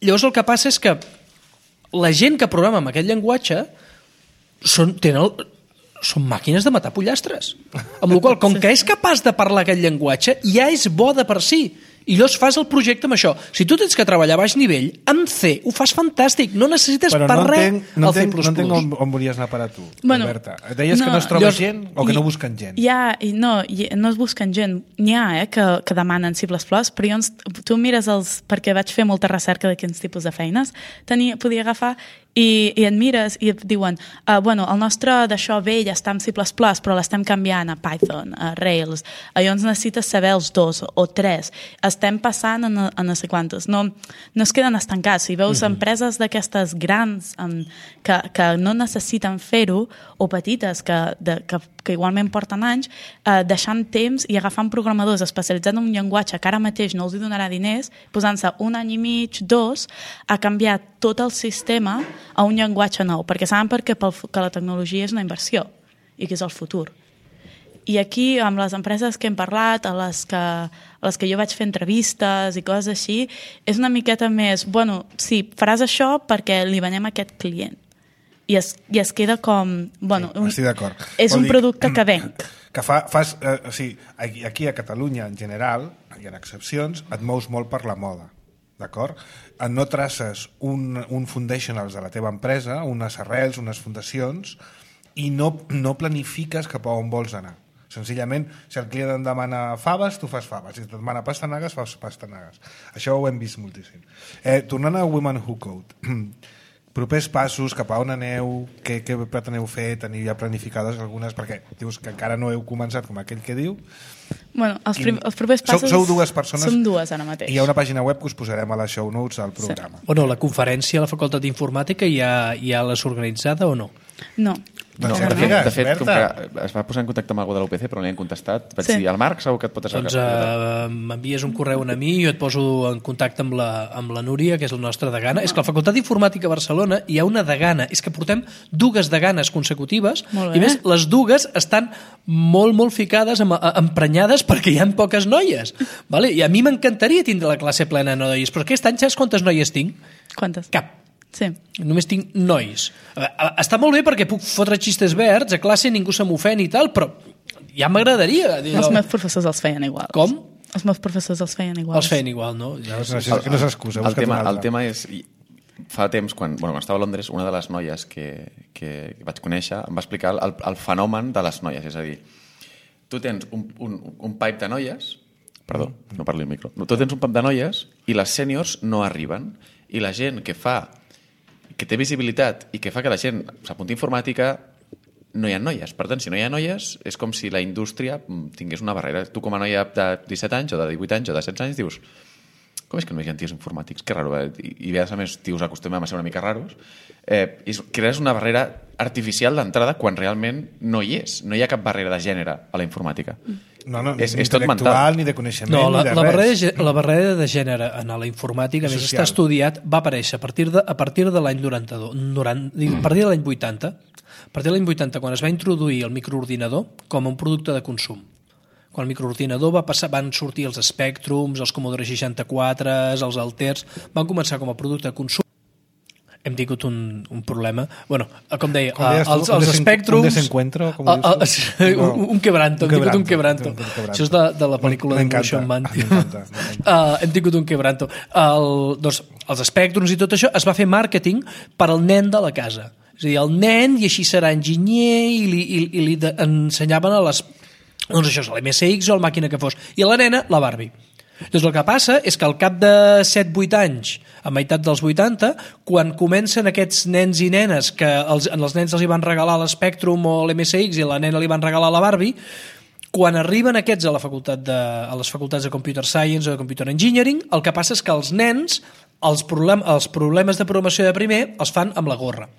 llavors el que passa és que la gent que programa amb aquest llenguatge són, tenen el, són màquines de matar pollastres. Amb la qual cosa, com que és capaç de parlar aquest llenguatge, ja és bo de per si. I llavors fas el projecte amb això. Si tu tens que treballar a baix nivell, amb C ho fas fantàstic, no necessites Però per no res entenc, no el C entenc, plus no entenc plus. on, on volies anar a parar tu, Bueno, Alberta. Deies no, que no es troba llavors, gent o que i- no busquen gent. Hi ha, i no, hi, no es busquen gent. N'hi ha, eh, que, que demanen C plus plus, però jo, ens- tu mires els... Perquè vaig fer molta recerca de quins tipus de feines. Tenia, podia agafar i, i et mires i et diuen uh, bueno, el nostre d'això vell està amb C plus plus, però l'estem canviant a Python, a Rails. Llavors necessites saber els dos o tres. Estem passant a no, a no sé quantes. No, no es queden estancats. Si veus mm-hmm. empreses d'aquestes grans um, que, que no necessiten fer-ho, o petites que, de, que, que igualment porten anys, eh, deixant temps i agafant programadors especialitzats en un llenguatge que ara mateix no els hi donarà diners, posant-se un any i mig, dos, a canviar tot el sistema a un llenguatge nou, perquè saben perquè pel, que la tecnologia és una inversió i que és el futur. I aquí, amb les empreses que hem parlat, a les que, a les que jo vaig fer entrevistes i coses així, és una miqueta més, bueno, sí, faràs això perquè li venem a aquest client. I es, i es queda com... Bueno, Sí, un, estic d'acord. és Vol un dir, producte que venc. Que fa, fas, eh, o sigui, aquí, aquí a Catalunya, en general, hi ha excepcions, et mous molt per la moda, d'acord? No traces un, un foundationals de la teva empresa, unes arrels, unes fundacions, i no, no planifiques cap a on vols anar. Senzillament, si el client et demana faves, tu fas faves. Si et demana pastanagues, fas pastanagues. Això ho hem vist moltíssim. Eh, tornant a Women Who Code, propers passos, cap a on aneu, què, què preteneu fer, teniu ja planificades algunes, perquè dius que encara no heu començat, com aquell que diu. Bueno, els, prim, els propers passos... Sou, sou dues persones. Som dues ara mateix. I hi ha una pàgina web que us posarem a les show notes del programa. Bueno, la conferència a la Facultat d'Informàtica ja, ja l'has organitzada o no? No. No, Doncs de ja fet, digues, de fet com Berta. que es va posar en contacte amb algú de l'U P C però no li han contestat, vaig Sí. dir, el Marc segur que et pot Doncs uh, m'envies un correu a mi i jo et poso en contacte amb la, amb la Núria, que és la nostra degana. És que a la Facultat d'Informàtica a Barcelona hi ha una degana. És que portem dues deganes consecutives Molt bé. i més, les dues estan molt, molt ficades, em, emprenyades perquè hi ha poques noies. Vale? I a mi m'encantaria tindre la classe plena de noies, però aquest any saps quantes noies tinc? Quantes? Cap. Sí. Només tinc nois. Eh, Està molt bé perquè puc fotre xistes verds, a classe ningú se m'ofèn i tal, però ja m'agradaria. Els meus professors els feien igual. Com? Els meus professors els feien igual. Els feien igual, no? Ja No, no, no és excusa, el, busca't tema, una altra. el tema és... i Fa temps, quan, bueno, quan estava a Londres, una de les noies que, que vaig conèixer em va explicar el, el fenomen de les noies. És a dir, tu tens un, un, un pipe de noies... Perdó, no parli el micro. Tu tens un pipe de noies i les sèniors no arriben. I la gent que fa que té visibilitat i que fa que la gent s'apunti a informàtica, no hi ha noies. Per tant, si no hi ha noies, és com si la indústria tingués una barrera. Tu com a noia de disset anys, o de divuit anys, o de setze anys, dius, com és que no hi ha tios informàtics? Que raro, eh? I, i a més, tios acostumem a ser una mica raros. Eh, i crees una barrera artificial d'entrada quan realment no hi és. No hi ha cap barrera de gènere a la informàtica. No, no, és, ni és tot intel·lectual, mental. ni de coneixement, No, la, ni de la, res. barrera, de gè- la barrera de gènere en la informàtica, a més Social. està estudiat, va aparèixer a partir de, a partir de l'any noranta-dos, noranta, a partir de l'any vuitanta, a partir de l'any vuitanta, quan es va introduir el microordinador com a un producte de consum. Quan el microordinador va passar, van sortir els Spectrums, els Commodore seixanta-quatre, els Alters, van començar com a producte de consum. Hem tingut un, un problema. Bueno, com deia, Com deies tu, els, un els desen- Spectrums... un desencuentro, com Ah, dius tu? ah, No. un, un quebranto, Un hem tingut un quebranto, quebranto. un quebranto. Això és de, de la pel·lícula de M'encanta, Motion Man. m'encanta, m'encanta. Uh, hem tingut un quebranto. El, doncs, els Spectrums i tot això es va fer màrqueting per al nen de la casa. És a dir, el nen, i així serà enginyer, i li, i, i li de, ensenyaven a les... Doncs això és l'M S X o la màquina que fos. I a la nena, la Barbie. Doncs el que passa és que al cap de set vuit anys, a meitat dels vuitanta, quan comencen aquests nens i nenes que els, els nens els hi van regalar l'Spectrum o l'M S X i a la nena li van regalar la Barbie, quan arriben aquests a, la facultat de, a les facultats de Computer Science o de Computer Engineering, el que passa és que els nens els, problem, els problemes de programació de primer els fan amb la gorra.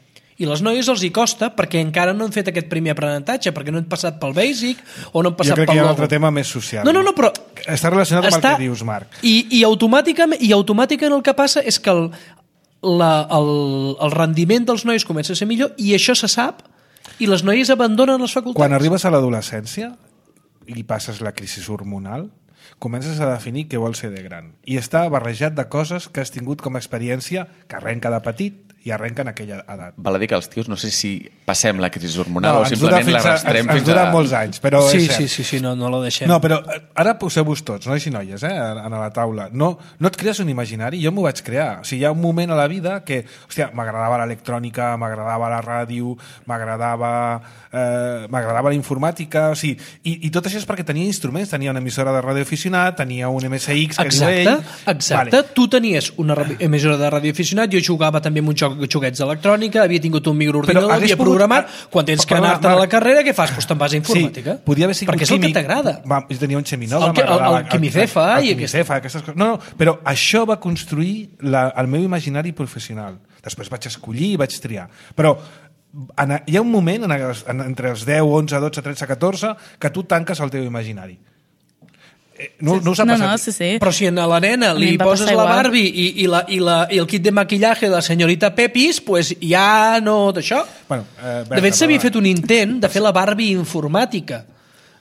I les noies els hi costa perquè encara no han fet aquest primer aprenentatge, perquè no han passat pel basic o no han passat Jo crec pel que hi ha un logo. altre tema més social. No, no, no, però... Està relacionat amb està- el que dius, Marc. I, i, automàticament, I automàticament el que passa és que el, la, el, el rendiment dels nois comença a ser millor i això se sap i les noies abandonen les facultats. Quan arribes a l'adolescència i passes la crisi hormonal, comences a definir què vols ser de gran. I està barrejat de coses que has tingut com a experiència que arrenca de petit i arrenquen aquella edat. Val a dir que els tios no sé si passem la crisi hormonal No, o ens dura simplement fins a- l'arrastrem ens- ens fins dura a... molts anys, però Sí, és cert. sí, sí, sí, no, no la deixem. No, però eh, ara poseu-vos tots, nois i noies, eh, a la taula. No, no et crees un imaginari? Jo m'ho vaig crear. O sigui, hi ha un moment a la vida que, hòstia, m'agradava l'electrònica, m'agradava la ràdio, m'agradava eh, m'agradava la informàtica, o sigui, i, i tot això és perquè tenia instruments, tenia una emissora de ràdio aficionat, tenia un M S X que Exacte, diu ell... exacte. Vale. Tu tenies una ra- emissora de ràdio aficionat, jo jugava també amb un joc de joguets d'electrònica, havia tingut un microordinador, Però hagués havia pogut- programat, quan tens que Perdona, anar-te a la Marc. carrera, què fas? Doncs te'n vas a informàtica. Sí, podia haver sigut perquè és el químic. que t'agrada. Va, jo tenia un Xeminova, El que- el- m'agradava- el Quimicefa el i Quimicefa, aquestes coses. No, no, però això va construir la, el meu imaginari professional. Després vaig escollir i vaig triar. Però en, hi ha un moment en, en, entre els deu, onze, dotze, tretze, catorze que tu tanques el teu imaginari. Eh, No, no us ha No, passat? no, sí, sí. Però si a la nena A mi li em va poses passar la igual. Barbie i, i, la, i, la, i el kit de maquillaje de la senyorita Pepis, pues ja no d'això. Bueno, eh, Berta, De fet, s'havia va. fet un intent de fer la Barbie informàtica.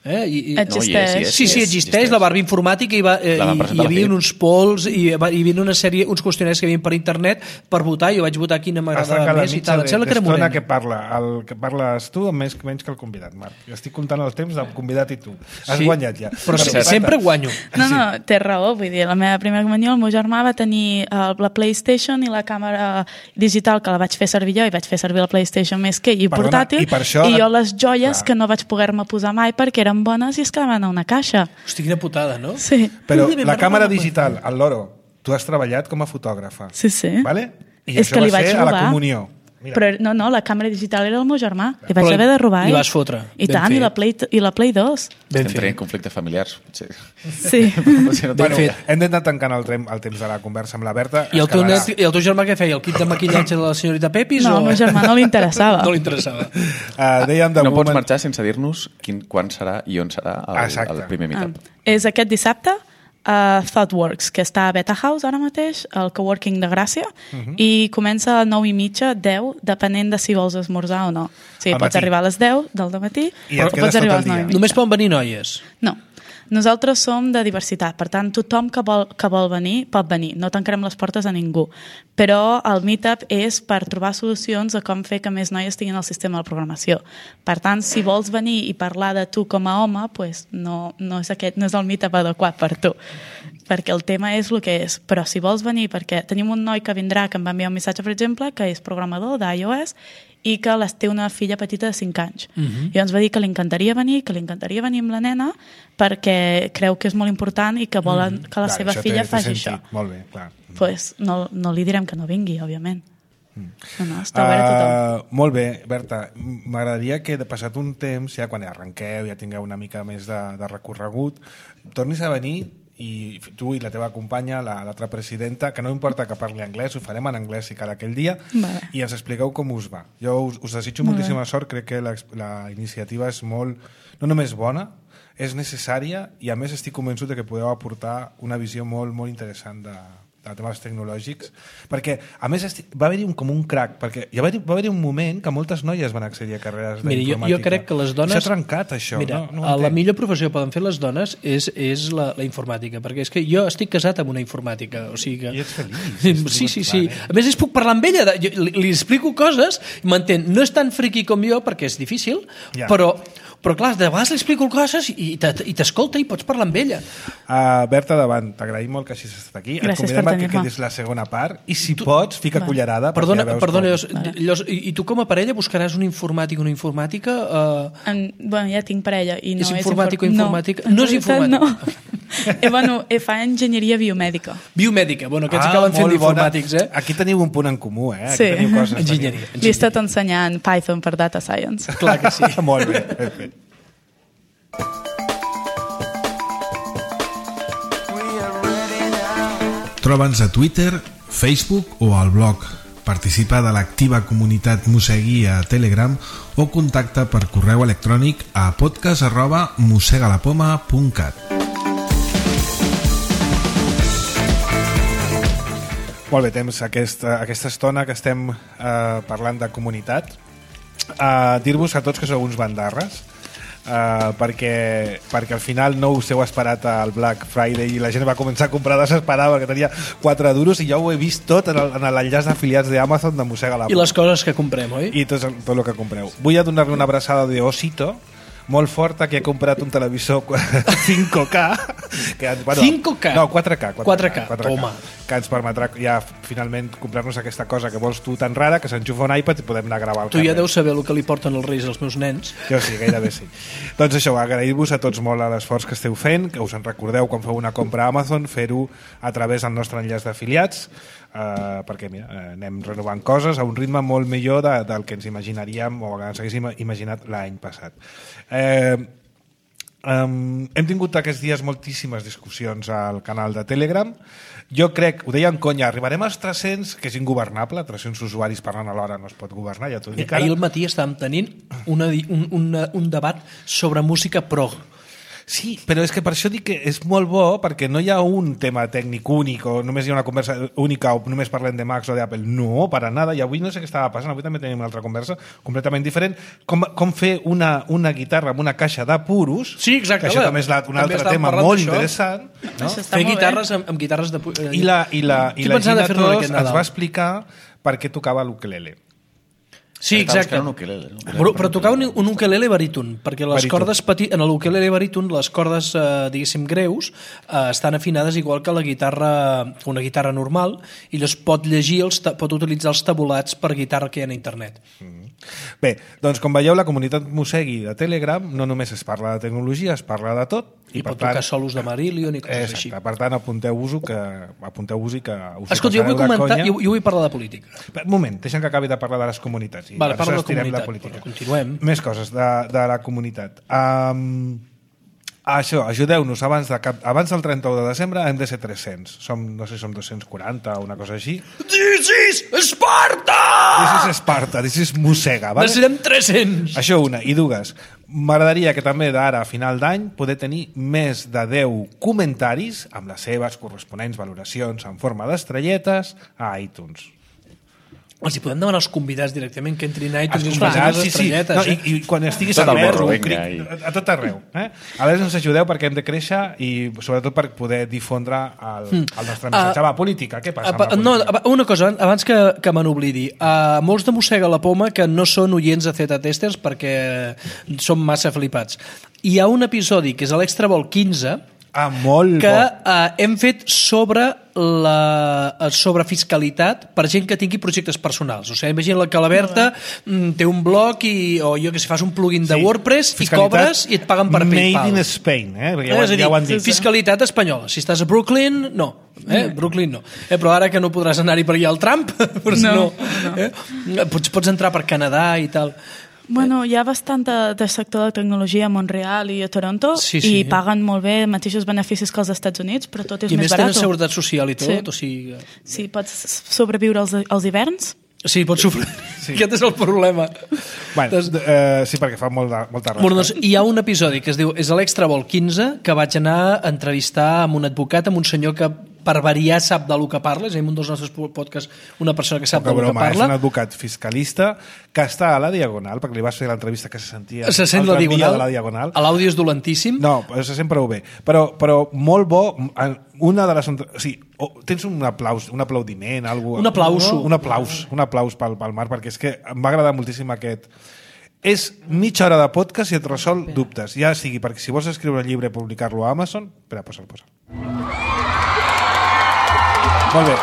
Eh? I, i, Existeix. No, hi és, hi és. Sí, sí, existeix la Barbie informàtica i, va, eh, La van i, presentar hi a la havia F I. uns polls i va- hi havia una sèrie, uns qüestionaris que hi havia per internet per votar i jo vaig votar quina Has m'agradava tancat la més i mitja tal. Em sembla que era d'estona morena. que parla. El que parles tu més, menys que el convidat, Marc. Estic comptant el temps del convidat i tu. Has Sí. guanyat ja. Però Bueno, sí, Berta, sempre guanyo. No, no, té raó, vull dir, la meva primera comunió, el meu germà va tenir uh, la PlayStation i la càmera digital que la vaig fer servir jo i vaig fer servir la PlayStation més que ell i Perdona, portàtil, i per això- i jo les joies Clar. que no vaig poder-me posar mai perquè eren bones i es quedaven a una caixa. Hosti, quina putada, no? Sí, Però Ui, la m'ha càmera recordat. digital, el Loro, tu has treballat com a fotògrafa. sí, sí. Vale? I És això que li va vaig ser a la robar. comunió. Mira. Però no, no, la càmera digital era el meu germà. Li vaig Però haver de robar. li eh? vas fotre. I Ben tant, fet. i la Play, i la Play dos. Ben Estem fet. tenint conflictes familiars. potser. Sí. Potser no Bueno, fet. hem d'anar tancant el, trem, el temps de la conversa amb la Berta. I el, teu Escalarà. net, I el teu germà què feia? El kit de maquillatge de la senyorita Pepis? No, o... al meu germà no li interessava. No li interessava. Uh, dèiem de No pots moment... marxar sense dir-nos quin, quan serà i on serà el, Exacte. el primer meetup. És aquest dissabte a ThoughtWorks, que està a Beta House ara mateix, al coworking de Gràcia, uh -huh. i comença a nou i mitja, deu, depenent de si vols esmorzar o no. O sigui, Al pots matí. arribar a les deu del dematí, I et o quedes pots tot arribar a el les nou i dia. mitja. Només poden venir noies. No. Nosaltres som de diversitat, per tant, tothom que vol, que vol venir pot venir. No tancarem les portes a ningú. Però el meetup és per trobar solucions a com fer que més noies tinguin el sistema de programació. Per tant, si vols venir i parlar de tu com a home, pues no, no, és aquest, no és el meetup adequat per tu. Perquè el tema és el que és. Però si vols venir, perquè tenim un noi que vindrà, que em va enviar un missatge, per exemple, que és programador d'iOS i que les té una filla petita de cinc anys. Uh -huh. I ens va dir que li encantaria venir, que li encantaria venir amb la nena, perquè creu que és molt important i que volen que la Clar, seva això filla té- té faci sentit. això. Molt bé, clar. Pues no, no li direm que no vingui, òbviament. No, no, està obert a tothom. Uh, molt bé, Berta. M'agradaria que, de passat un temps, ja quan arrenqueu, ja tingueu una mica més de, de recorregut, tornis a venir i tu i la teva companya, la- l'altra presidenta, que no importa que parli anglès, ho farem en anglès si cal aquell dia, Vale. i ens expliqueu com us va. Jo us, us desitjo Molt moltíssima sort, crec que la, la iniciativa és molt, no només bona, és necessària i a més estic convençut de que podeu aportar una visió molt, molt interessant de, de temes tecnològics, perquè a més estic, va haver-hi un, com un crac, perquè hi va haver, va haver un moment que moltes noies van accedir a carreres Mira, jo, d'informàtica. jo crec que les dones... S'ha trencat això. Mira, no, no ho la entenc. millor professió que poden fer les dones és, és la, la informàtica, perquè és que jo estic casat amb una informàtica, o sigui que... I ets feliç. Sí, sí, sí. A més, és puc parlar amb ella, de, jo, li, li explico coses, i m'entén. No és tan friqui com jo, perquè és difícil, Ja. però, però clar, de vegades li explico coses i te- i t'escolta i pots parlar amb ella. Uh, Berta, davant, t'agraïm molt que hagis estat aquí. Et Gràcies convidem per a que tenir-me. quedis la segona part i si tu... pots, fica Va. cullerada. perquè Perdona, ja veus perdona com- llavors, llavors, i, i tu com a parella buscaràs un informàtic o una informàtica? Uh, En, bueno, ja tinc parella. I no És informàtic o infor- informàtica? No, No és en realitat, informàtic. No. eh, bueno, eh, fa enginyeria biomèdica. biomèdica, bueno, aquests Ah, acaben fent molt bona. d'informàtics, eh? Aquí teniu un punt en comú, eh? Aquí Sí. teniu coses. Enginyeria. Li he estat ensenyant Python per Data Science. Clar que sí. Molt bé, ben fet. Troba'ns a Twitter, Facebook o al blog. Participa de l'activa comunitat Mosegui a Telegram o contacta per correu electrònic a podcast arroba mosegalapoma punt cat. Molt bé, temps aquesta, aquesta estona que estem eh, parlant de comunitat. Eh, dir-vos a tots que sou uns bandarres. Uh, perquè, perquè al final no us heu esperat al Black Friday i la gent va començar a comprar desesperada perquè tenia quatre duros i jo ho he vist tot en l'enllaç d'afiliats d'Amazon de Mossega la Poma. I les coses que comprem, oi? I tot, tot el que compreu. Vull donar-li una abraçada d'Osito molt forta, que he comprat un televisor cinc K que, bueno, cinc K? No, quatre K, quatre K, toma. Que ens permetrà ja finalment comprar-nos aquesta cosa que vols tu tan rara que s'enxufa un iPad i podem anar a gravar al tu carrer. Ja deus saber el que li porten els reis als meus nens. Jo sí, gairebé sí. Doncs això, agrair-vos a tots molt l'esforç que esteu fent, que us en recordeu quan feu una compra a Amazon, fer-ho a través del nostre enllaç d'afiliats, Uh, perquè mira, uh, anem renovant coses a un ritme molt millor de, del que ens imaginaríem o que ens haguéssim imaginat l'any passat. Uh, um, hem tingut aquests dies moltíssimes discussions al canal de Telegram. Jo crec, ho deia en conya, arribarem als tres-cents, que és ingovernable, tres-cents usuaris parlant alhora no es pot governar, ja t'ho dic ara. Ahir al matí estàvem tenint una, un, una, un debat sobre música prog. Sí, però és que per això dic que és molt bo, perquè no hi ha un tema tècnic únic o només hi ha una conversa única o només parlem de Macs o d'Apple. No, per a nada. I avui no sé què estava passant, avui també tenim una altra conversa completament diferent. Com, com fer una, una guitarra amb una caixa de puros, sí, exacte, que això també és la, un altre tema molt interessant. No? Fer guitarres amb, amb guitarres de... I la, i la, i la Gina Tos ens va explicar per què tocava l'ukelele. Sí, exacte. Un ukelele, un ukelele. Però, però tocar un, un ukelele baríton, perquè les baríton. cordes peti... en l'ukelele baríton les cordes, eh, diguéssim, greus eh, estan afinades igual que la guitarra, una guitarra normal, i llavors pot llegir, els, pot utilitzar els tabulats per guitarra que hi ha a internet. Mm. Bé, doncs com veieu, la comunitat Mossegui de Telegram no només es parla de tecnologia, es parla de tot. I, I pot tant, tocar solos de Marillion i coses exacte, així. Per tant, apunteu-vos-ho que apunteu-vos i que us Escolta, jo vull comentar, jo, jo vull parlar de política. Un moment, deixa'm que acabi de parlar de les comunitats. I vale, parla de comunitat, la política. Però continuem. Més coses de, de la comunitat. Um, això, ajudeu-nos, abans, de cap, abans del trenta-u de desembre hem de ser tres-cents. Som, no sé, som dos-cents quaranta o una cosa així. This is Esparta! This is Esparta, this is Mossega. Vale? Necessitem tres-cents! Això una. I dues, m'agradaria que també d'ara a final d'any poder tenir més de deu comentaris amb les seves corresponents valoracions en forma d'estrelletes a iTunes. Els hi podem demanar als convidats directament que entrin a iTunes els i us sí, sí. estrelletes. No, eh? i, I quan estiguis tot al el verb, borro, cric, vinga, a tot arreu. Eh? A veure, ens ajudeu perquè hem de créixer i sobretot per poder difondre el, el nostre missatge. Uh, Va, política, què passa amb la no, política? Una cosa, abans que, que me n'oblidi. Uh, molts de Mossega la Poma que no són oients de Zeta Testers perquè són massa flipats. Hi ha un episodi que és l'Extra Vol quinze ah, molt que bo. uh, hem fet sobre la sobre fiscalitat per gent que tingui projectes personals. O sigui, imagina que la Berta mm, té un blog i, o jo que sé, fas un plugin de sí. WordPress i cobres i et paguen per PayPal. Made in Spain, eh? Perquè ja, eh? ho, ja ho han dit. Fiscalitat espanyola. Si estàs a Brooklyn, no. Eh? Brooklyn no. Eh? Però ara que no podràs anar-hi per allà al Trump, però no, no. no. Eh? Pots, pots entrar per Canadà i tal. Bueno, hi ha bastant de, de sector de tecnologia a Montreal i a Toronto sí, sí. i paguen molt bé mateixos beneficis que els Estats Units, però tot és I més barat. I més tenen seguretat social i tot. Sí, o sigui... sí pots sobreviure als, als hiverns. Sí, pots sofrir. Sí. Aquest és el problema. Bueno, doncs, uh, sí, perquè fa molta, molta rasca. Bueno, doncs, hi ha un episodi que es diu és l'Extra Vol quinze, que vaig anar a entrevistar amb un advocat, amb un senyor que per variar sap del que parla, és a dir, un dels nostres podcasts, una persona que sap del que parla. És un advocat fiscalista que està a la Diagonal, perquè li vas fer l'entrevista que se sentia se sent la diagonal, de la Diagonal. L'àudio és dolentíssim. No, se sent prou bé. Però, però molt bo, una de les... O sigui, tens un aplaus, un aplaudiment, algú, un aplaus. Un, un aplaus, un aplaus pel, pel Marc, perquè és que em va agradar moltíssim aquest... És mitja hora de podcast i et resol dubtes. Ja sigui, perquè si vols escriure un llibre i publicar-lo a Amazon... Espera, posa'l, posa'l. Molt bé.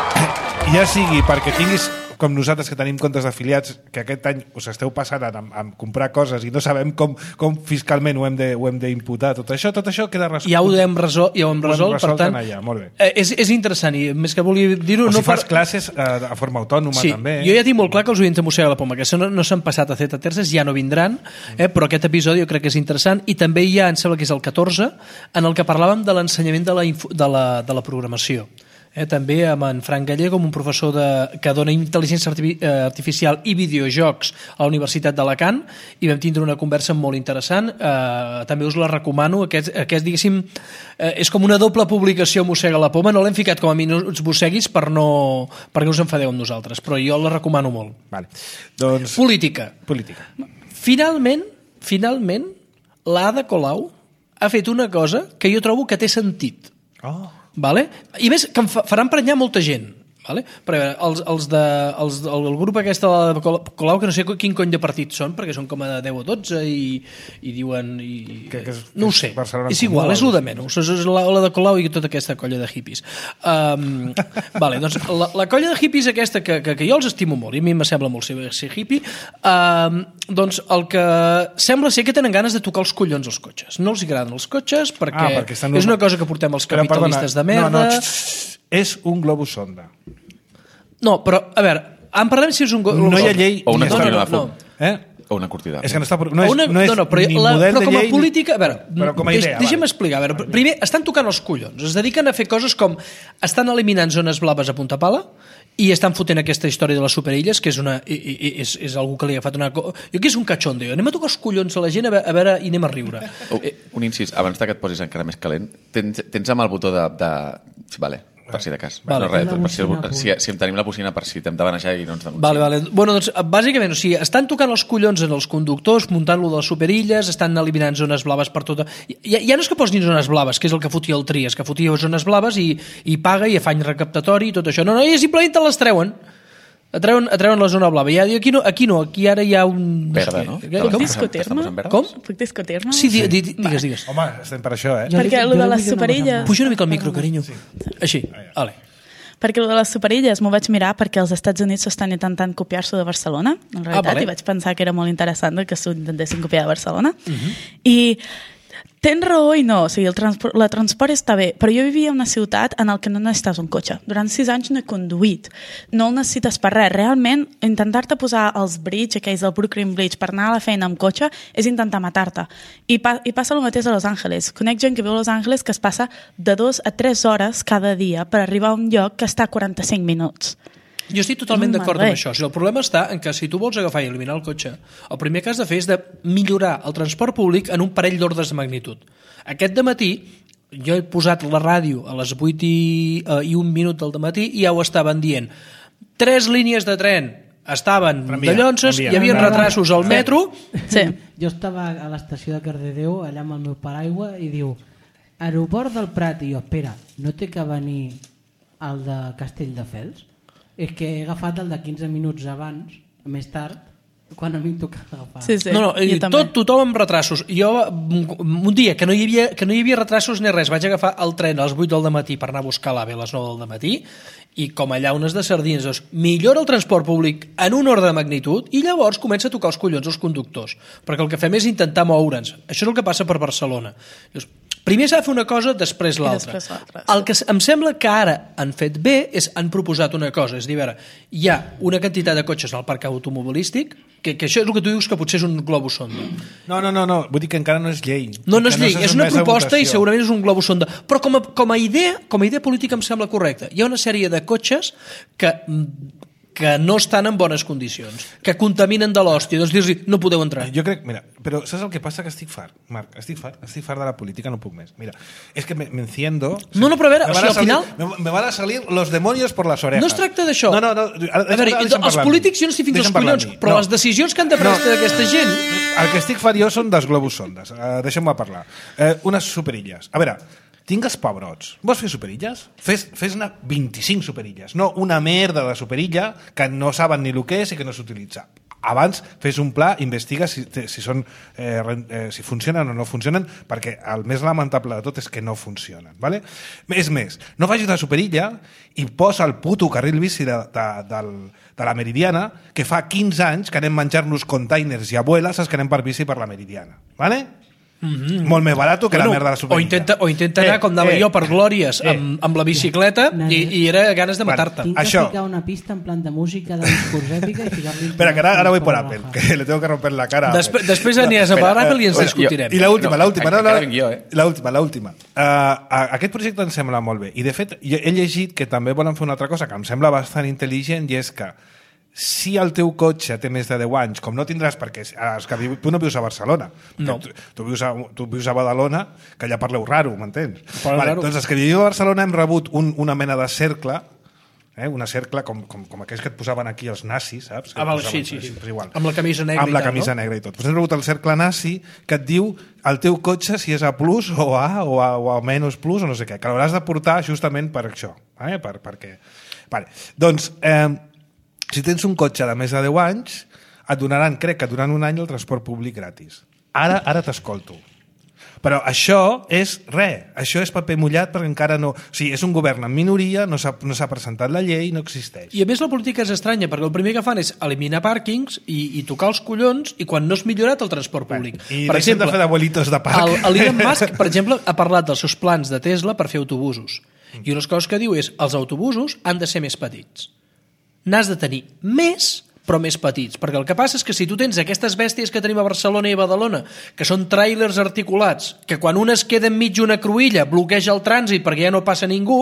Ja sigui perquè tinguis, com nosaltres que tenim comptes d'afiliats, que aquest any us esteu passant a, a comprar coses i no sabem com, com fiscalment ho hem de, ho hem d'imputar, tot això, tot això queda resolt. Ja ho hem resolt, ja ho hem resolt, ho hem resolt per tant, allà. Molt bé. Eh, és, és interessant i més que volia dir-ho... O no si fas per... classes eh, de forma autònoma sí, també. Jo ja tinc molt clar que els oients de Mossega la Poma, que no, no s'han passat a Zeta Terces, ja no vindran, eh, però aquest episodi jo crec que és interessant i també hi ha, em sembla que és el catorze, en el que parlàvem de l'ensenyament de, la de, la, de la programació. Eh, també amb en Frank Gallego, un professor de, que dona intel·ligència artificial i videojocs a la Universitat d'Alacant, i vam tindre una conversa molt interessant. Eh, també us la recomano. Aquest, aquest diguéssim, eh, és com una doble publicació Mossega la Poma. No l'hem ficat com a minuts mosseguis per no, perquè us enfadeu amb nosaltres, però jo la recomano molt. Vale. Doncs... Política. Política. Finalment, finalment, l'Ada Colau ha fet una cosa que jo trobo que té sentit. Oh. Vale? I més, que em fa, farà emprenyar molta gent. Vale? Però a veure, els, els de, els, el, el grup aquest de Colau, que no sé quin cony de partit són, perquè són com a deu o dotze i, i diuen... I, que, que és, no ho sé, és igual, és el de menys. És la, la de Colau i tota aquesta colla de hippies. Um, vale, doncs, la, la colla de hippies aquesta, que, que, que jo els estimo molt, i a mi me sembla molt ser, ser hippie, um, doncs el que sembla ser que tenen ganes de tocar els collons als cotxes. No els agraden els cotxes perquè, ah, perquè és una cosa que portem els capitalistes de merda... No, no, x, x, és un globus sonda. No, però, a veure, en parlem si és un globus sonda. No hi ha llei... O una no, cortina no, de fum. no. Eh? O una cortina de fum. És que no, està, no és, una, no és no, no, però, ni la, model però com a de llei... política... A veure, però com a idea, deix, deixa'm explicar. A veure, primer, estan tocant els collons. Es dediquen a fer coses com... Estan eliminant zones blaves a punta pala i estan fotent aquesta història de les superilles, que és, una, és, és algú que li ha agafat una... Jo que és un cachondeo. Anem a tocar els collons a la gent a veure, a veure i anem a riure. Oh, un incís, abans que et posis encara més calent, tens, tens amb el botó de... de... Vale, per si de cas. Vale. No, res, per si, si, si em tenim la bocina per si t'hem de banejar i no ens denunciem. Vale, vale. Bueno, doncs, bàsicament, o sigui, estan tocant els collons en els conductors, muntant-lo de les superilles, estan eliminant zones blaves per tota... Ja, ja no és que posin zones blaves, que és el que fotia el Trias, que fotia zones blaves i, i paga i afany recaptatori i tot això. No, no, i simplement te les treuen. Atreuen, atreuen la zona blava. Ja, aquí, no, aquí no, aquí ara hi ha un... Verda, no? Puc discutir-me? Com? Puc discutir-me? Sí, di, di, digues, digues. Home, estem per això, eh? Perquè el de les superilles... Puja una mica el micro, carinyo. Sí. Així, vale. Perquè el de les superilles m'ho vaig mirar perquè els Estats Units s'estan intentant copiar-s'ho de Barcelona, en realitat, ah, vale. I vaig pensar que era molt interessant que s'ho intentessin copiar de Barcelona. Uh-huh. I tens raó i no, o sigui, el transport, la transport està bé, però jo vivia en una ciutat en el que no necessites un cotxe. Durant sis anys no he conduït, no el necessites per res. Realment, intentar-te posar els bridge, aquells del Brooklyn Bridge, per anar a la feina amb cotxe, és intentar matar-te. I, pa, i passa el mateix a Los Angeles. Conec gent que viu a Los Angeles que es passa de dos a tres hores cada dia per arribar a un lloc que està a quaranta-cinc minuts. Jo estic totalment d'acord amb això. O sigui, el problema està en que si tu vols agafar i eliminar el cotxe, el primer que has de fer és de millorar el transport públic en un parell d'ordres de magnitud. Aquest dematí, jo he posat la ràdio a les vuit i, uh, i un minut del dematí i ja ho estaven dient. Tres línies de tren estaven de llonses, hi havia retrasos al metro... Sí. Jo estava a l'estació de Cardedeu, allà amb el meu paraigua, i diu, aeroport del Prat, i jo, espera, no té que venir el de Castelldefels? És que he agafat el de quinze minuts abans, més tard, quan a mi em toca agafar. Sí, sí. No, no, tot, tothom amb retrasos. Jo, un dia que no, hi havia, que no hi havia retrasos ni res, vaig agafar el tren a les vuit del matí per anar a buscar l'AVE a les nou del matí i com allà unes de sardines. Doncs, millora el transport públic en un ordre de magnitud i llavors comença a tocar els collons als conductors. Perquè el que fem és intentar moure'ns. Això és el que passa per Barcelona. Llavors, primer s'ha de fer una cosa, després l'altra. El que em sembla que ara han fet bé és han proposat una cosa, és dir, a veure, hi ha una quantitat de cotxes al parc automobilístic, que, que això és el que tu dius que potser és un globus sonda. No, no, no, no. Vull dir que encara no és llei. No, no és llei, no és una proposta i segurament és un globus sonda. Però com a, com a idea, com a idea política em sembla correcta. Hi ha una sèrie de cotxes que... que no estan en bones condicions, que contaminen de l'hòstia, doncs dir-los no podeu entrar. Jo crec, mira, però saps el que passa? Que estic fart, Marc, estic fart, estic fart de la política, no puc més. Mira, és que me, me enciendo... No, no, però a veure, o sigui, al salir, final... Me, me van a salir los demonios por las orejas. No es tracta d'això. No, no, no. Ara, a veure, els polítics jo no estic fins als collons, però no. Les decisions que han de prendre no. D'aquesta gent... El que estic fart jo són dels globus sondes. Uh, Deixa'm-me parlar. Uh, unes superilles. A veure, tingues pebrots. Vols fer superilles? Fes, fes-ne vint-i-cinc superilles. No una merda de superilla que no saben ni el que és i que no s'utilitza. Abans fes un pla, investiga si, si, són, eh, eh, si funcionen o no funcionen, perquè el més lamentable de tot és que no funcionen. ¿Vale? És més, no facis la superilla i posa el puto carril bici de, de, de, de la Meridiana, que fa quinze anys que anem menjar-nos containers i abueles que anem per bici per la Meridiana. ¿Vale? Mm-hmm. Molt més barat que bueno, la merda de la superilla. O intenta, o intenta anar, eh, com anava eh, jo, per Glòries eh, amb, amb la bicicleta eh, i, i era ganes de matar-te. Tinc que això... ficar una pista en plan de música de discurs èpica i ficar-li... Espera, que ara, ara voy por Apple, que le tengo que romper la cara. Després, després aniràs a per Apple i ens discutirem. I l'última, no, l'última. No, no, l'última, l'última. Uh, aquest projecte em sembla molt bé. I, de fet, he llegit que també volen fer una altra cosa que em sembla bastant intel·ligent i és que si el teu cotxe té més de deu anys, com no tindràs, perquè és que tu no vius a Barcelona, no. tu, tu, vius a, tu vius a Badalona, que allà parleu raro, m'entens? Vale, doncs els que vivim a Barcelona hem rebut un, una mena de cercle eh? Una cercle com, com, com aquells que et posaven aquí els nazis, saps? Que Ah, val, posaven, sí, sí, sí. Pues igual. Amb la camisa negra amb la i tal, camisa no? negra i tot. Pues hem rebut el cercle nazi que et diu el teu cotxe si és A plus o A o A, o A menys plus o no sé què, que l'hauràs de portar justament per això, eh? per, perquè... Vale. Doncs, eh, si tens un cotxe de més de deu anys, et donaran, crec que durant un any, el transport públic gratis. Ara ara t'escolto. Però això és res, això és paper mullat perquè encara no... O sigui, és un govern en minoria, no s'ha no s'ha presentat la llei, no existeix. I a més la política és estranya, perquè el primer que fan és eliminar pàrquings i, i tocar els collons i quan no és millorat el transport públic. Bueno, I per deixem exemple, de fer d'abuelitos de parc. el, el Elon Musk, per exemple, ha parlat dels seus plans de Tesla per fer autobusos. I unes coses que diu és els autobusos han de ser més petits. N'has de tenir més però més petits, perquè el que passa és que si tu tens aquestes bèsties que tenim a Barcelona i a Badalona, que són tràilers articulats, que quan un es queda enmig d'una cruïlla bloqueja el trànsit perquè ja no passa ningú,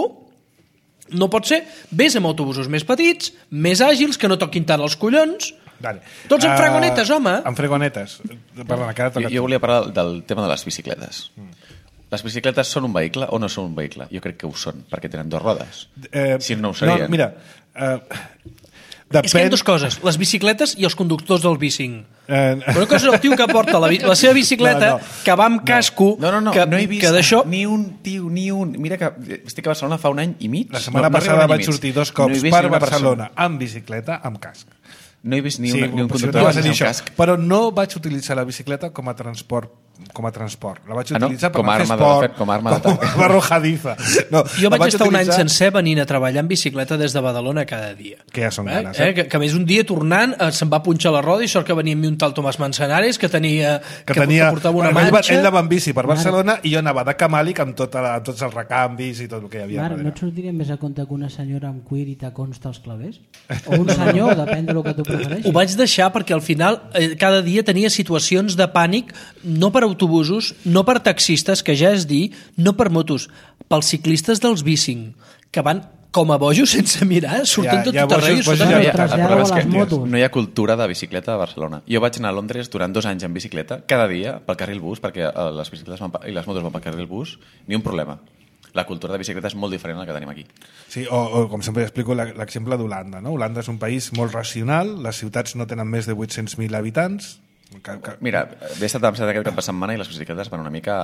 no pot ser. Vés amb autobusos més petits, més àgils, que no toquin tant els collons, Vale. tots amb Uh, fregonetes, home. Amb fregonetes. Perdona, que ara Jo, toca jo tu. volia parlar del tema de les bicicletes. Les bicicletes són un vehicle o no són un vehicle? Jo crec que ho són, perquè tenen dues rodes. Eh, Si no ho serien. No, mira, eh, És que hi ha depèn... dues coses, les bicicletes i els conductors del bicing. Eh, Una cosa és el tio que porta la, bi- la seva bicicleta, No, no. que va amb casco, No, no, no, que, no he vist que d'això... ni un tio, ni un... Mira que estic a Barcelona fa un any i mig. La setmana no, no passada arriba un any vaig i mig. sortir dos No he cops vist per ni una Barcelona amb bicicleta, amb casc. No he vist ni, Sí, una, ni un possiblement conductor vas a dir amb això. casc. Però no vaig utilitzar la bicicleta com a transport com a transport. La vaig Ah, no? utilitzar per Com a anar a fer arma de esport, fet, com a arma d'atac. com a arma arrojadiza. No, Jo la vaig estar un any utilitzar- sencer venint a treballar en bicicleta des de Badalona cada dia. Que ja són eh? ganes, eh? Eh? Que, que a més un dia tornant eh, se'm va punxar la roda i sort que venia amb mi un tal Tomàs Manzanares que tenia que, tenia, que portava una ell, va, manxa. ell anava amb bici per Barcelona i jo anava de camàlic amb, tota la, amb tots els recanvis i tot el que hi havia. Marc, no darrere. et sortiria més a compte que una senyora amb cuir i tacons als clavers? O un senyor, depèn del que tu prefereixis. Ho vaig deixar perquè al final eh, cada dia tenia situacions de pànic no per autobusos, no per taxistes, que ja és dir, no per motos, pels ciclistes dels bicing, que van com a bojos sense mirar, sortint Ja- tot ja tot arreu. i bojos- sota- bojos No, ja- hi ha, el traslladeu problema és a que les motos. no hi ha cultura de bicicleta a Barcelona. Jo vaig anar a Londres durant dos anys en bicicleta, cada dia, pel carril bus, perquè eh, les bicicletes van, pa- i les motos van pel carril bus, ni un problema. La cultura de bicicleta és molt diferent a la que tenim aquí. Sí, o, o com sempre explico la- l'exemple d'Holanda. No? Holanda és un país molt racional, les ciutats no tenen més de vuit-cents mil habitants. Que, que... Mira, he estat a Amsterdam aquest cap de setmana i les bicicletes van una mica...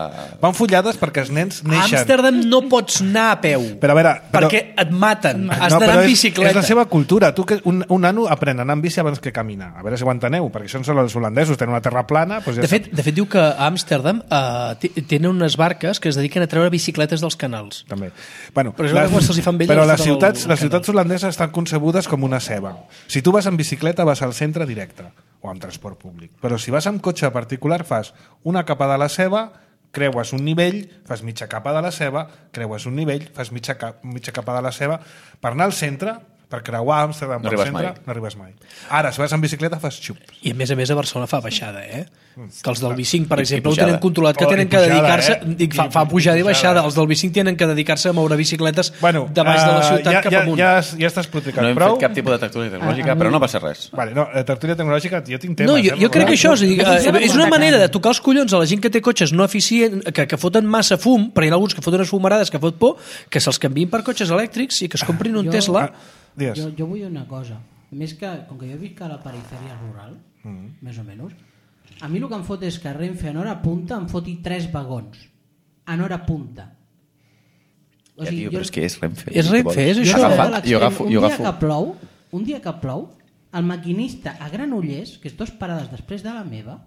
Van follades perquè els nens A neixen... Amsterdam no pots anar a peu, Però a veure, però- perquè et maten. Has No, d'anar però en és, bicicleta. és la seva cultura. Tu que un, un nano aprèn a anar en bici abans que caminar. A veure si ho enteneu, perquè això són els holandesos, tenen una terra plana... Doncs ja De fet, de fet, diu que a Amsterdam uh, tenen unes barques que es dediquen a treure bicicletes dels canals. també. Bueno, Però és que quan se'ls hi fan velles, però els les foten al- ciutats, al les canal. ciutats holandeses estan concebudes com una ceba. Si tu vas en bicicleta vas al centre directe o amb transport públic. Però si vas amb cotxe particular fas una capa de la ceba, creues un nivell, fas mitja capa de la ceba, creues un nivell, fas mitja, cap, mitja capa de la ceba. Per anar al centre, per creuar Amsterdam No pel arribes centre, mai. no arribes mai. Ara, si vas en bicicleta fas xup. I a més a més a Barcelona fa baixada, eh? Que els del bicing, per I- i exemple, ho pujada. tenen controlat, que Oh, tenen i que pujada, dedicar-se... eh? Dic, fa, I- fa pujada i i baixada. pujada. Els del bicing tenen que dedicar-se a moure bicicletes Bueno, de baix de la eh, ciutat ja, cap ja, amunt. ja, ja està explicat No hem prou. fet cap tipus de tertúlia tecnològica, A- a però mi- no passa res. Vale, no, la tertúlia tecnològica, jo tinc temes. No, jo, eh, jo crec que això és, a dir, Funciona eh, és com una un manera tacant. de tocar els collons a la gent que té cotxes no eficient, que, que foten massa fum, però hi ha alguns que foten unes fumarades que fot por, que se'ls canviïn per cotxes elèctrics i que es comprin un Jo- Tesla. Ah, digues. Jo, jo vull una cosa. Més que, com que jo visc a la perifèria rural, Mm. més o menys, a mi el que em fot és que Renfe en hora punta em foti tres vagons. En hora punta. Ja, tio, però és que és Renfe. És Renfe, és jo això. sé Agafa- de l'extrem. jo agafo- un jo dia agafo- que plou, un dia que plou, el maquinista a Granollers, que és dos parades després de la meva,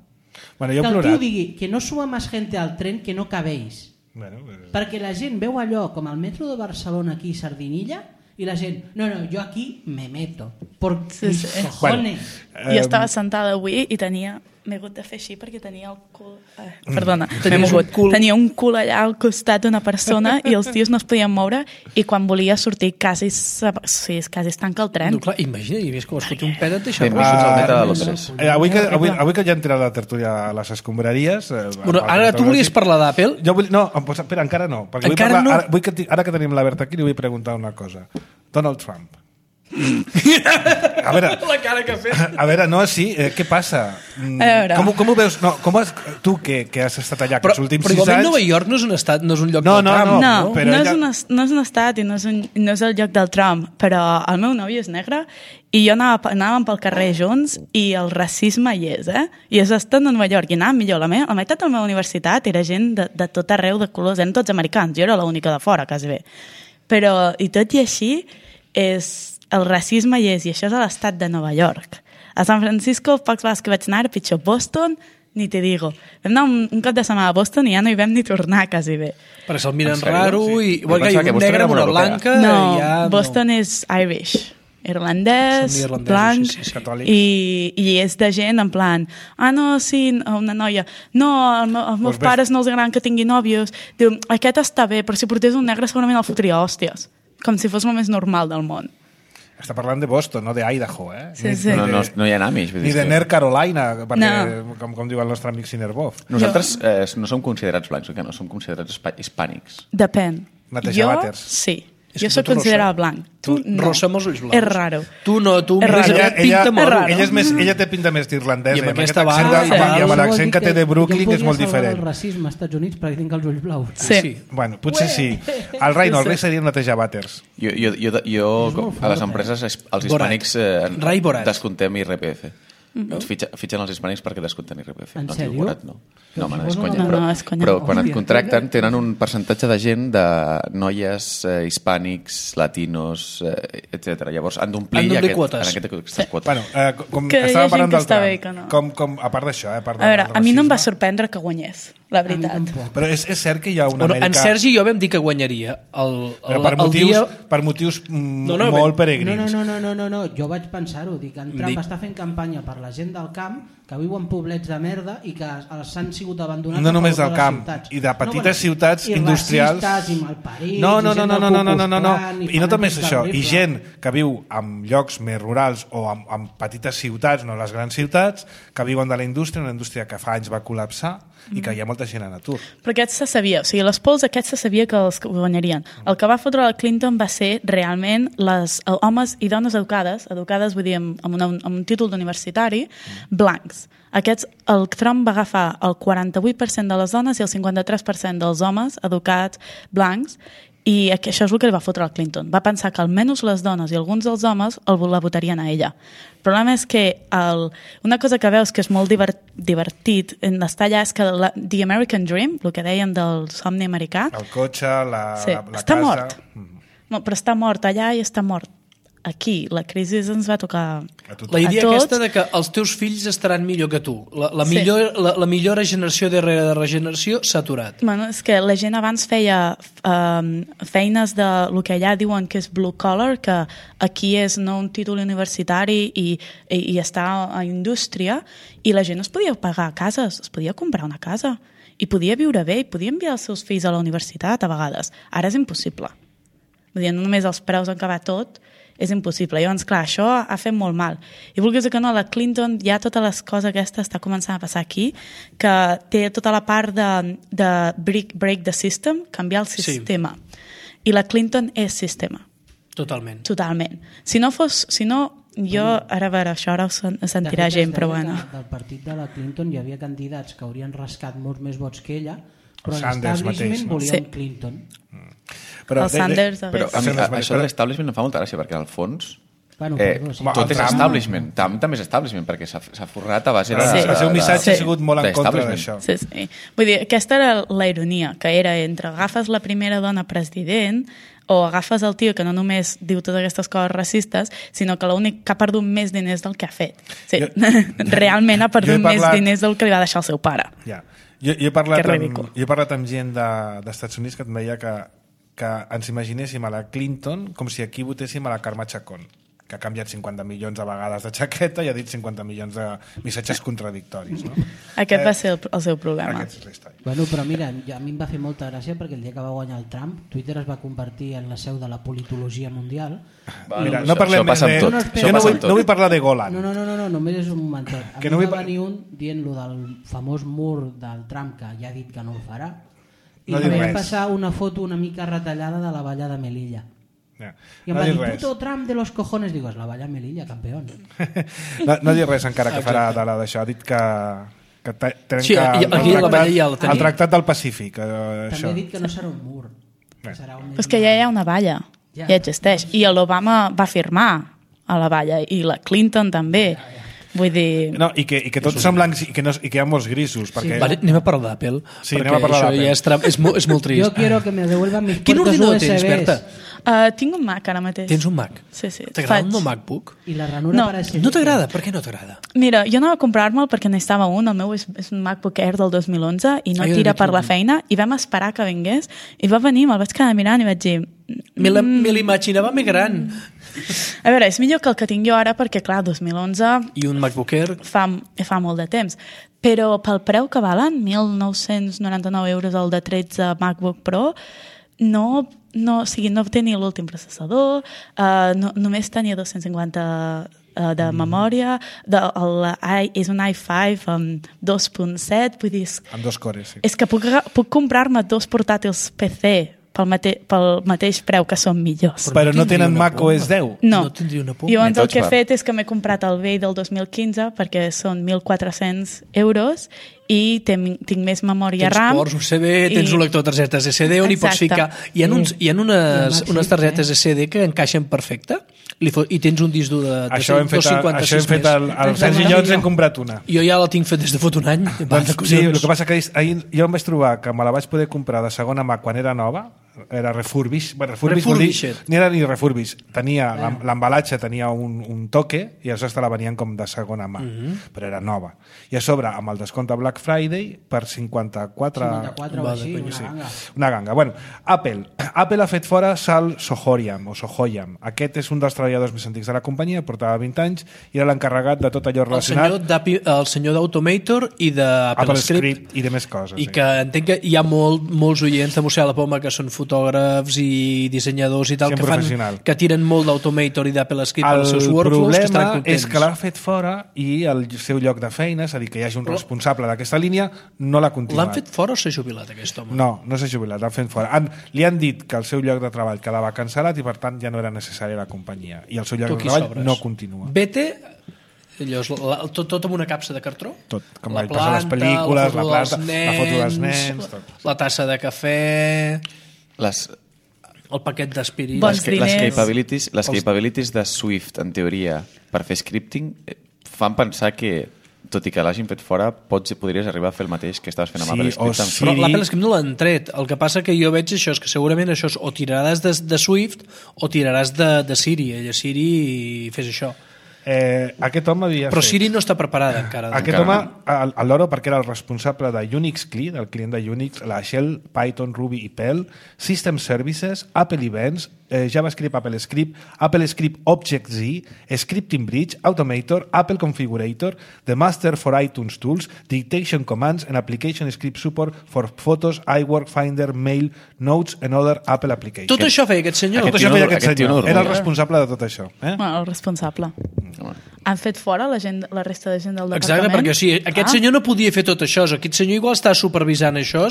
Bueno, jo he que el tio plorat. digui que no suba més gent al tren que no cabeix. Bueno, eh, Perquè la gent veu allò com el metro de Barcelona aquí, Sardinilla, i la gent, no, no, jo aquí me meto. Por Sí, sí. mis cojones. Eh, Jo estava sentada avui i tenia... M'he hagut de fer així perquè tenia el cul... Eh, Mm. perdona, m'he Tenies un mogut. cul. Tenia un cul allà al costat d'una persona i els tios no es podien moure i quan volia sortir quasi, se- sí, quasi es tanca el tren. No, clar, imagina, i més que escolti un pet et deixa Benvinguts rojo. al Ah, meta de no, Londres. Eh, avui, que, avui, avui que ja hem tirat la tertúlia a les escombraries... Eh, Bueno, al- ara al- tu volies parlar d'Apple? Jo vull, no, em posa, espera, encara no. Perquè vull Encara parlar, no? Ara, vull que, ti- ara que tenim la Berta aquí, li vull preguntar una cosa. Donald Trump. a veure... La cara que ha fet. A veure, no, sí, eh, què passa? Mm, A veure. Com, com ho veus? No, com has, tu, que, que has estat allà Però, aquests últims però sis igualment anys... Nova York no és un estat, no és un lloc No, del no, Trump. no. No, però no, ella- és un, es- no és un estat i no és, un, no és el lloc del Trump, però el meu nòvio és negre i jo anava, anàvem pel carrer junts i el racisme hi és, eh? I és estat a Nova York i anàvem millor. La, meva, la meitat de la meva universitat era gent de, de tot arreu de colors, eren tots americans, jo era l'única de fora, quasi bé. Però, i tot i així, és, el racisme hi és, i això és a l'estat de Nova York. A San Francisco, pocs vegades que vaig anar, era pitjor. Boston, ni te digo. Vam anar un, un cop de setmana a Boston i ja no hi vam ni tornar, quasi bé. Perquè se'l miren En sèrio? raro Sí. i... Jo Bueno, pensava que que un Boston negre era amb una molt europea. blanca... No, ja Boston és Irish, irlandès, Són irlandesos, blanc, sí, sí, sí. Catòlics. i, i és de gent en plan, ah, no, sí, una noia, no, el, meu- els meus Pues ves- pares no els agraden que tingui nòvios, diu, aquest està bé, però si portés un negre segurament el fotria hòsties, com si fos el més normal del món. Està parlant de Boston, no d'Idaho, eh? Sí, Ni- sí. ni No, de- no, no hi ha Amish. vull Ni dir de que- North Carolina, perquè, No. com, com diu el nostre amic Sinerbov. Nosaltres eh, no som considerats blancs, oi que no? Som considerats hispa- hispànics. Depèn. Netejar Jo, vàters. sí. És Jo que soc tu, considerada rossa. blanc. Tu, Tu, no. rossa amb els ulls blaus. És raro. Tu no, tu És mires raro. aquest pinta ella- molt. és raro. Ella, és més, ella té pinta més d'irlandesa. I amb aquest aquesta accent barba, de- sí. I amb Això vol l'accent dir que té de Brooklyn jo és molt podria salvar diferent. el racisme als Estats Units perquè tinc els ulls blaus. Sí. Sí. Bueno, potser sí. El Reino, el rei seria netejar vàters. Jo, jo, jo, jo És molt a les fort, empreses, es- els Borat. hispànics, eh, Rai Borat. descomptem I R P F. Ens fitxa, fitxen els hispànics perquè descompten I R P F. En no, es diu sèrio? Borat, no. No, home, no, és No, conya. no, però, no, és conya. però quan et Hòstia, contracten conya. tenen un percentatge de gent de noies eh, hispànics, latinos, eh, etcètera. Llavors han d'omplir Han d'omplir aquest, quotes. en aquest, aquestes quotes. Bueno, eh, com Que hi ha estava gent parlant que del està Trump, bé i que no. com, com, a part d'això, eh, a part A veure, del a mi no em va racisme, sorprendre que guanyés, la A mi veritat. tampoc. Però és, és cert que hi ha una Bueno, Amèrica... en Sergi i jo vam dir que guanyaria. El, el, Però per el motius, dia... per motius mm, No, no, molt ben- peregrins. No, no, no, no, no, no, jo vaig pensar-ho, dic, en Trump Dic- està fent campanya per la gent del camp que viu en poblets de merda i que els han sigut abandonats No a només favor del de les camp, ciutats. i de petites bueno, ciutats i industrials. racistes, i malparits, No, no, i no, gent no, del no, no, no, Ku no, Klux no, no. Klan, I no només fanàtics això, del i rifle. gent que viu en llocs més rurals o en, en petites ciutats, no les grans ciutats, que viuen de la indústria, una indústria que fa anys va col·lapsar i que hi ha molta gent en atur. Però aquest se sabia, o sigui, les polls aquests se sabia que els guanyarien. El que va fotre la Clinton va ser realment les eh, homes i dones educades, educades vull dir amb, amb, una, amb un títol d'universitari, blancs. Aquests, el Trump va agafar el quaranta-vuit per cent de les dones i el cinquanta-tres per cent dels homes educats blancs, i això és el que li va fotre al Clinton. Va pensar que almenys les dones i alguns dels homes el, la votarien a ella. El problema és que el, una cosa que veus que és molt divert, divertit en estar allà és que la, The American Dream, el que dèiem del somni americà, El cotxe, la, sí, la, la està casa... mort. Mm. No, però està mort allà i està mort aquí. La crisi ens va tocar A tothom. La idea a tots. aquesta de que els teus fills estaran millor que tu. La, la, Sí. millor, la, la millora generació darrere de regeneració s'ha aturat. Bueno, és que la gent abans feia um, feines de el que allà diuen que és blue collar, que aquí és no un títol universitari i, i, i està a indústria, i la gent es podia pagar cases, es podia comprar una casa i podia viure bé i podia enviar els seus fills a la universitat a vegades. Ara és impossible. Vull dir, no només els preus han acabat tot, és impossible. Llavors, clar, això ha fet molt mal. I vulguis que no, la Clinton ja totes les coses aquestes està començant a passar aquí, que té tota la part de, de break, break the system, canviar el sistema. Sí. I la Clinton és sistema, Totalment. totalment. Si no fos... Si no, jo, ara a veure, això ara ho sen- sentirà De fet, gent, es però deia bueno. que Del partit de la Clinton hi havia candidats que haurien rascat molts més vots que ella, però El Sanders l'establishment mateix, no? volien Sí. Clinton. Però, El Sanders Però a mi, Sanders, a, això però- de l'establishment em fa molta gràcia, perquè al fons Bueno, eh, perdó, sí. Home, tot el és Trump- establishment. Trump també és establishment, perquè s'ha s'ha forrat a base de... Sí. El seu missatge Sí. ha sigut molt en contra d'establishment. d'això. Sí, sí. Vull dir, aquesta era la ironia, que era entre agafes la primera dona president o agafes el tio que no només diu totes aquestes coses racistes, sinó que l'únic que ha perdut més diners del que ha fet. Sí, Jo- realment ha Jo perdut he parlat- més diners del que li va deixar el seu pare. Ja. Jo, jo, he parlat Que amb, ridícul. jo he parlat amb gent de, d'Estats Units que em deia que, que ens imaginéssim a la Clinton com si aquí votéssim a la Carme Chacón, que ha canviat cinquanta milions a vegades de jaqueta i ha dit cinquanta milions de missatges contradictoris. No? Aquest Eh, va ser el, el seu problema. Aquest és la història. Bueno, però mira, ja a mi em va fer molta gràcia perquè el dia que va guanyar el Trump, Twitter es va convertir en la seu de la politologia mundial. Va, Mira, això- no parlem això més passa amb de... tot. No, no, Això jo no passa vull, amb tot. no vull parlar de Golan. No, no, no, no, no només és un momentet. A Que mi no no vull va pa- venir un dient lo del famós mur del Trump, que ja ha dit que no ho farà, i No no diu vaig res. passar una foto una mica retallada de la valla de Melilla. Ja. I em No va dic dir, res. puto tram de los cojones. Digo, es la valla Melilla, campeón. No, no dic res encara que farà de la d'això. Ha dit que, que te- trenca Sí, i- el, aquí a la tractat, valla ja la tenim. el tractat del Pacífic. Eh, També això. he dit que no serà un mur. Que serà un Però és que ja hi ha una valla, Ja. ja existeix. I l'Obama va firmar a la valla, i la Clinton també. Vull dir... No, i, que, i que tots són blancs i que, no, i que hi ha molts grisos. Perquè... Vale, anem a parlar d'Apple, Sí, perquè anem a parlar això d'Apple. ja és, tra- és, molt, és molt trist. Yo quiero que me devuelvan mis Quin puertos ordinador U S tens, Bs. Berta? Uh, tinc un Mac ara mateix. Tens un Mac? Sí, sí. T'agrada Faig- un MacBook? Y la ranura No, para ese No t'agrada? Per què no t'agrada? Mira, jo anava a comprar-me'l perquè necessitava un, el meu és, és un MacBook Air del dos mil onze i no Ah, jo tira d'aquí per la un. feina, i vam esperar que vingués i va venir, me'l vaig quedar mirant i vaig dir... Me la- me l'imaginava més gran. A veure, és millor que el que tinc jo ara perquè, clar, dos mil onze I un MacBook Air... fa, fa molt de temps. Però pel preu que valen, mil nou-cents noranta-nou euros el de tretze MacBook Pro, no, no, o sigui, no tenia l'últim processador, uh, no, només tenia dos-cents cinquanta uh, de memòria, de, el, i, és un i cinc amb dos punt set, vull dir, és, Amb dos cores, sí. és que puc, aga- puc comprar-me dos portàtils P C pel, mate, pel mateix preu que són millors. Però no tindria tenen una Mac por. O S deu. No, No tindria una por. jo Ni el tots que he va. fet és que m'he comprat el vell del dos mil quinze perquè són mil quatre-cents euros i ten, tinc més memòria Tens RAM. ports U S B, tens i- un lector de targetes S D on hi pots Exacte. ficar... Hi ha, uns, hi ha unes, Sí, unes targetes S D que encaixen perfecte li fo- i tens un disc dur de, de Això hem fet, dos coma cinquanta-sis això hem fet el, el Tens Sergi una i jo ens millor. hem comprat una. Jo ja la tinc fet des de fot un any. Va, Doncs, de sí, el collons. que passa que ahir, ahir jo em vaig trobar que me la vaig poder comprar de segona mà quan era nova, era refurbish, bueno, refurbish vol dir, Refurbished. ni era ni refurbish, tenia l'em- l'embalatge tenia un, un toque i aleshores te la venien com de segona mà, però era nova. I a sobre, amb el descompte Black Friday, per cinquanta-quatre... cinquanta-quatre o Va, així, de una conya, sí. ganga. Una ganga. Bueno, Apple. Apple ha fet fora Sal Sohoyam, o Sohoyam. Aquest és un dels treballadors més antics de la companyia, portava vint anys i era l'encarregat de tot allò El relacionat senyor d'Api- el senyor d'Automator i d'Apple Apple Script, Script i de més coses. i sí. que entenc que hi ha molt, molts oients de Museu a la Poma que són fotògrafs i dissenyadors i tal, Gent que, fan, professional. que tiren molt d'Automator i d'Apple Script El als seus workflows, que estan problema contents. és que l'ha fet fora i el seu lloc de feina, és a dir, que hi hagi un responsable d'aquesta línia, no l'ha continuat. L'han fet fora o s'ha jubilat, aquest home? No, no s'ha jubilat, l'han fet fora. Han, li han dit que el seu lloc de treball quedava cancel·lat i per tant ja no era necessari a la companyia. I el seu lloc Tu de aquí treball sobres. no continua. Vete, allò, és la, tot, tot amb una capsa de cartró? Tot, com la el passa a les pel·lícules, la, foto planta, dels la foto dels nens... Tot. la tassa de cafè, Les, el paquet d'aspirina... Bons les, ca- les, diners. capabilities, les capabilities de Swift, en teoria, per fer scripting, eh, fan pensar que, tot i que l'hagin fet fora, pots, podries arribar a fer el mateix que estaves fent amb Sí, Apple o Script. amb sí. Però Siri- l'Apple Script no l'han tret. El que passa que jo veig això és que segurament això és o tiraràs de, de Swift o tiraràs de, de Siri. Ella Siri i fes això. Eh, aquest home havia Però fet... Siri no està preparada encara. Aquest Encara home, al- a l'Oro, perquè era el responsable de Unix C L I, del client de Unix, la Shell, Python, Ruby i Perl, System Services, Apple Events, eh, JavaScript, Apple Script, Apple Script Object-Z, Scripting Bridge, Automator, Apple Configurator, The Master for iTunes Tools, Dictation Commands and Application Script Support for Photos, iWork, Finder, Mail, Notes and other Apple Applications. Tot això feia aquest senyor. Tot Aquest això tio feia no- aquest aquest tio senyor. no Era el dormia. responsable de tot això. Eh? Bueno, el responsable. Home. Han fet fora la, gent, la resta de gent del Exacte, departament? perquè o sigui, aquest Ah, senyor no podia fer tot això. Aquest senyor igual està supervisant això.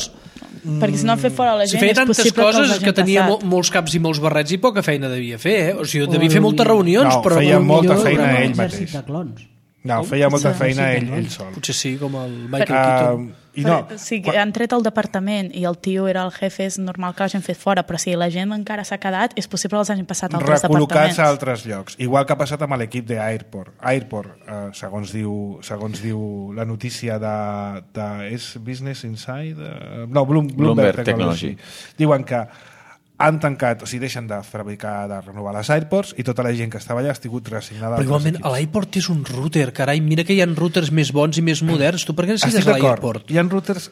Perquè si no han fet fora la Si gent feia és tantes possible coses que, és que tenia mo molts caps i molts barrets i poca feina devia fer, eh? O sigui, devia fer moltes reunions, No, però... feia però molta millor- feina un ell exèrcit mateix. de clons. No, feia molta Sí, feina sí, ell, sí. ell sol. Potser sí, com el Michael Uh, Keaton. I no, o sigui, han tret el departament i el tio era el jefe, és normal que l'hagin fet fora, però si la gent encara s'ha quedat, és possible que els hagin passat a altres recol·locats departaments. a altres llocs. Igual que ha passat amb l'equip d'Airport. Airport, eh, segons, diu, segons diu la notícia de, de és Business Inside? Eh, no, Bloom, Bloomberg, Bloomberg Technology. Technology. Diuen que han tancat, o sigui, deixen de fabricar, de renovar les Airports i tota la gent que estava allà ha estat reassignada Però a igualment, altres a equips. l'iPort és un router, carai, mira que hi ha routers més bons i més moderns. Tu per què necessites Estic d'acord. l'iPort? Hi ha routers,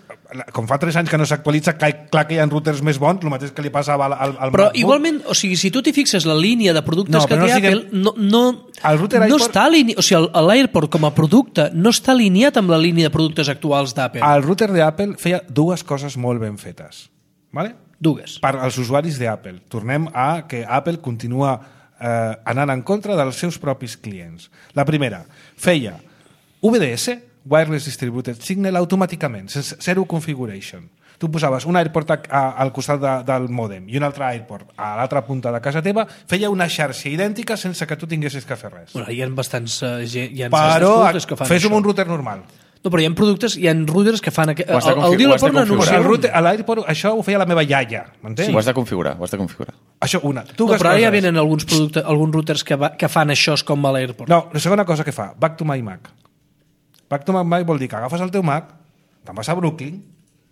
com fa tres anys que no s'actualitza, clar clar que hi ha routers més bons, el mateix que li passava al, al, al Però MacBook. igualment, o sigui, si tu t'hi fixes la línia de productes No, que però no té siguem- Apple, no, no, El router no iPort- està alineat, o sigui, el- l'AirPort com a producte no està alineat amb la línia de productes actuals d'Apple. El router d'Apple feia dues coses molt ben fetes. Vale? Dues. Per als usuaris d'Apple. Tornem a que Apple continua eh, anant en contra dels seus propis clients. La primera, feia U V D S, Wireless Distributed Signal, automàticament, sense zero configuration. tu posaves un AirPort a, a, al costat de, del mòdem i un altre AirPort a l'altra punta de casa teva, feia una xarxa idèntica sense que tu tinguessis que fer res. Bueno, hi ha bastants, uh, hi ha Però bastants que fan fes-ho amb això. un router normal. No, però hi ha productes, hi ha routers que fan... Aqu... Ho has de El, confi- el dia ho la has de porna configurar. O sigui, el anunciant... router, a l'AirPort, això ho feia la meva iaia, m'entens? Sí. Ho has de configurar, ho has de configurar. Això, una. Tu No, que però ara ja coses. venen alguns, productes, alguns routers que, va, que fan això com a l'AirPort. No, la segona cosa que fa, Back to my Mac. Back to my Mac vol dir que agafes el teu Mac, te'n vas a Brooklyn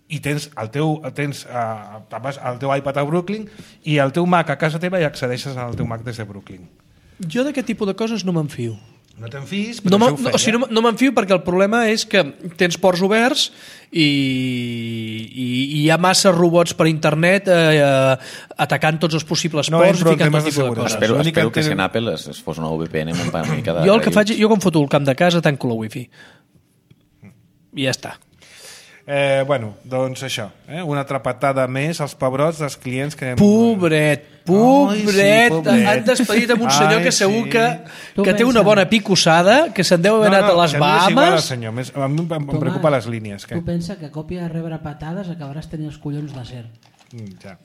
i tens el teu, tens, uh, te'n vas al teu iPad a Brooklyn i el teu Mac a casa teva i accedeixes al teu Mac des de Brooklyn. Jo d'aquest tipus de coses no m'enfio. No te'n fies, però No, això no, ho feia. o sigui, no, no m'enfio perquè el problema és que tens ports oberts i, i, i hi ha massa robots per internet eh, eh, atacant tots els possibles No ports entro i en ficant temes tot de tipus de seguretat. coses. Espero, l'únic espero que que si tenen- en Apple es, es fos una V P N amb una mica de... Jo el que de faig, jo quan foto el camp de casa tanco la wifi. I ja està. Eh, bueno, doncs això, eh? una altra patada més als pebrots dels clients que... Pobret, pobret, Ai, sí, pobret. han despedit amb un senyor Ai, que segur sí. que, Tu que té una pensa- bona picossada, que se'n deu haver anat a les si mi m'és igual, Bahamas. senyor. Més- A mi em, em Tomàs, preocupa les línies. Que... Tu pensa que a còpia de rebre patades acabaràs tenint els collons d'acer. Mm, ja.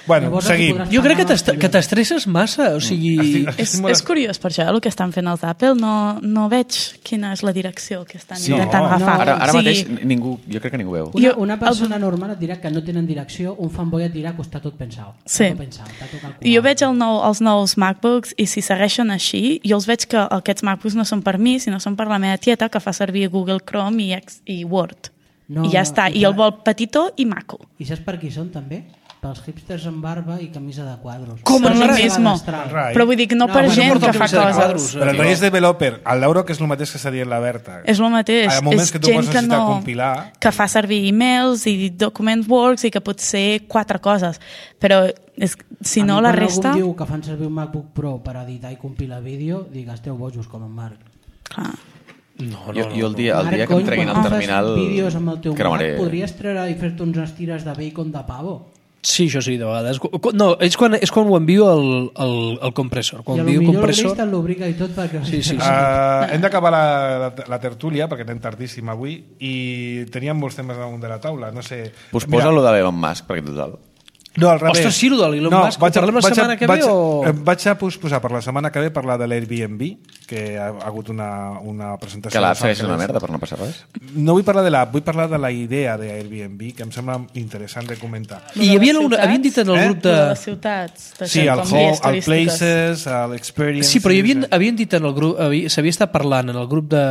Bueno, Llavors, seguim. podràs Jo crec que pagar t'est- els que t'estresses massa, o sigui... Estic- És, estic molt- és curiós per això, el que estan fent els Apple. No, no veig quina és la direcció que estan Sí. intentant No, agafar. Ara, ara O sigui, mateix ningú, jo crec que ningú veu. Una, Jo- una persona normal et dirà que no tenen direcció, un fanboy et dirà que està tot pensat. Sí. Està tot pensat, està tot calculat. Jo veig el nou, els nous MacBooks i si segueixen així, jo els veig que aquests MacBooks no són per mi, sinó són per la meva tieta que fa servir Google Chrome i, Ex- i Word. No, I ja està. i I el clar- vol petitó i maco. I saps per qui són també? Pels hipsters amb barba i camisa de quadros. Com Per el gent que mismo. va d'astral. Rai. Però vull dir que no, No, per però no gent porta que el fa camisa de coses. quadros. Però el rei és developer, el l'euro que és el mateix que s'ha dit la Berta. És el mateix. Hi ha moments és que tu gent pots que necessitar no, compilar. que fa servir emails i document works i que pot ser quatre coses. Però és, si A no, mi la quan resta... algú em diu que fan servir un MacBook Pro per editar i compilar vídeo, dic, esteu bojos com en Marc. Clar. No, no, Jo, no. jo el dia, el Marc, dia que em cony, treguin quan el fas terminal... vídeos amb el teu cremaré. Mac, podries treure i fer-te uns estires de bacon de pavo. Sí, això sí, de vegades. Qu- qu- No, és quan, és quan ho envio el, el, el compressor. I Quan a lo envio el millor compressor... l'Obrist te'n l'obriga i tot perquè... Sí, sí, sí. Uh, hem d'acabar la, la, la tertúlia perquè anem tardíssim avui i teníem molts temes damunt de la taula, no sé... Pues posa-lo de Elon Musk, perquè total... No, al revés. Ostres, sí, lo de l'Elon Musk, ho parlem la vaig a- setmana que ve vaig a- o- eh, Vaig a posposar per la setmana que ve parlar de l'Airbnb, que ha, ha hagut una, una presentació... Que l'app de segueix una Sanfrecce. merda per no passar res. No vull parlar de l'app, vull parlar de la idea d'Airbnb, que em sembla interessant de comentar. I hi havia una, ciutats? havien dit en el Eh? grup De de... les ciutats. de Sí, ser el com home, guies el turístiques. places, l'experience... Sí, però hi havien, havien dit en el grup... havia- S'havia estat parlant en el grup de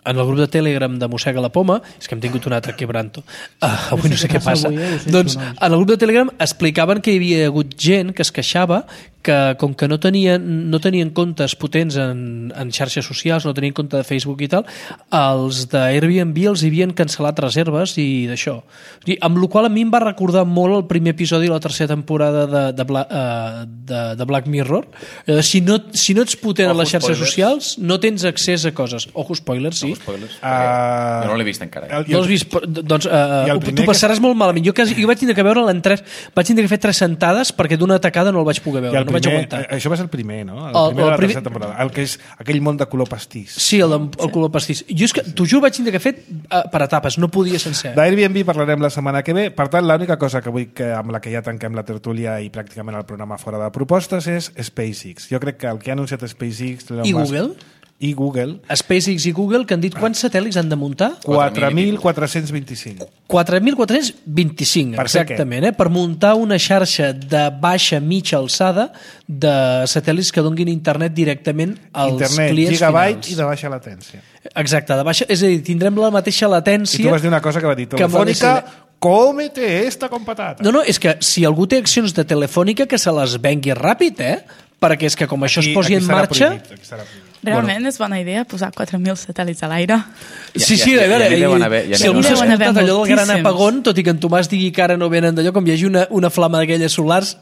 en el grup de Telegram de Mossega la Poma, és que hem tingut un altre quebranto, uh, avui no sé què passa, avui, eh? Ho sento, doncs nois. en el grup de Telegram explicaven que hi havia hagut gent que es queixava que com que no tenien, no tenien comptes potents en, en xarxes socials, no tenien compte de Facebook i tal, els d'Airbnb els havien cancel·lat reserves i d'això. O sigui, amb la qual a mi em va recordar molt el primer episodi de la tercera temporada de, de, Bla, uh, de, de Black Mirror. Eh, si, no, si no ets potent Ojo, a les xarxes spoilers. socials, no tens accés a coses. Ojo, spoilers, sí. Spoilers. Ah, jo no l'he vist encara. Eh? el- No l'has vist? Però, doncs uh, I el uh, primer tu passaràs molt malament. Jo, quasi, jo vaig tindre que veure'l en tres... Vaig tindre que fer tres sentades perquè d'una tacada no el vaig poder I veure. el No vaig primer, aguantar. eh, això va ser el primer, no? El, El- primer el de la primer- tercera temporada. El que és aquell món de color pastís. Sí, el, el color pastís. Jo és que, t'ho juro, vaig tindre que fer uh, per etapes. No podia sencer. D'Airbnb parlarem la setmana que ve. Per tant, l'única cosa que vull que amb la que ja tanquem la tertúlia i pràcticament el programa fora de propostes és SpaceX. Jo crec que el que ha anunciat SpaceX... Elon I Musk, Google? I Google. SpaceX i Google, que han dit quants satèl·lits han de muntar? quatre mil quatre-cents vint-i-cinc. quatre mil quatre-cents vint-i-cinc, Per fer exactament, eh? Per muntar una xarxa de baixa mitja alçada de satèl·lits que donguin internet directament als Internet, clients gigabyte finals. i de baixa latència. Exacte, de baixa, és a dir, tindrem la mateixa I tu latència. vas dir una cosa que va dir que amb Telefònica, l'A cómete esta con patata. No, no, és que si algú té accions de Telefònica que se les vengui ràpid, eh? Perquè és que com això es posi en serà marxa... prohibit, aquí serà prohibit. Realment bueno. és bona idea posar quatre mil satèl·lits a l'aire. Sí, Ja- sí, ja- a veure, ja n'hi deuen haver- ja si n'hi algú deuen s'ha haver. escoltat allò del gran Moltíssims. apagón, tot i que en Tomàs digui que ara no venen d'allò, com hi hagi una, una flama d'aquelles solars,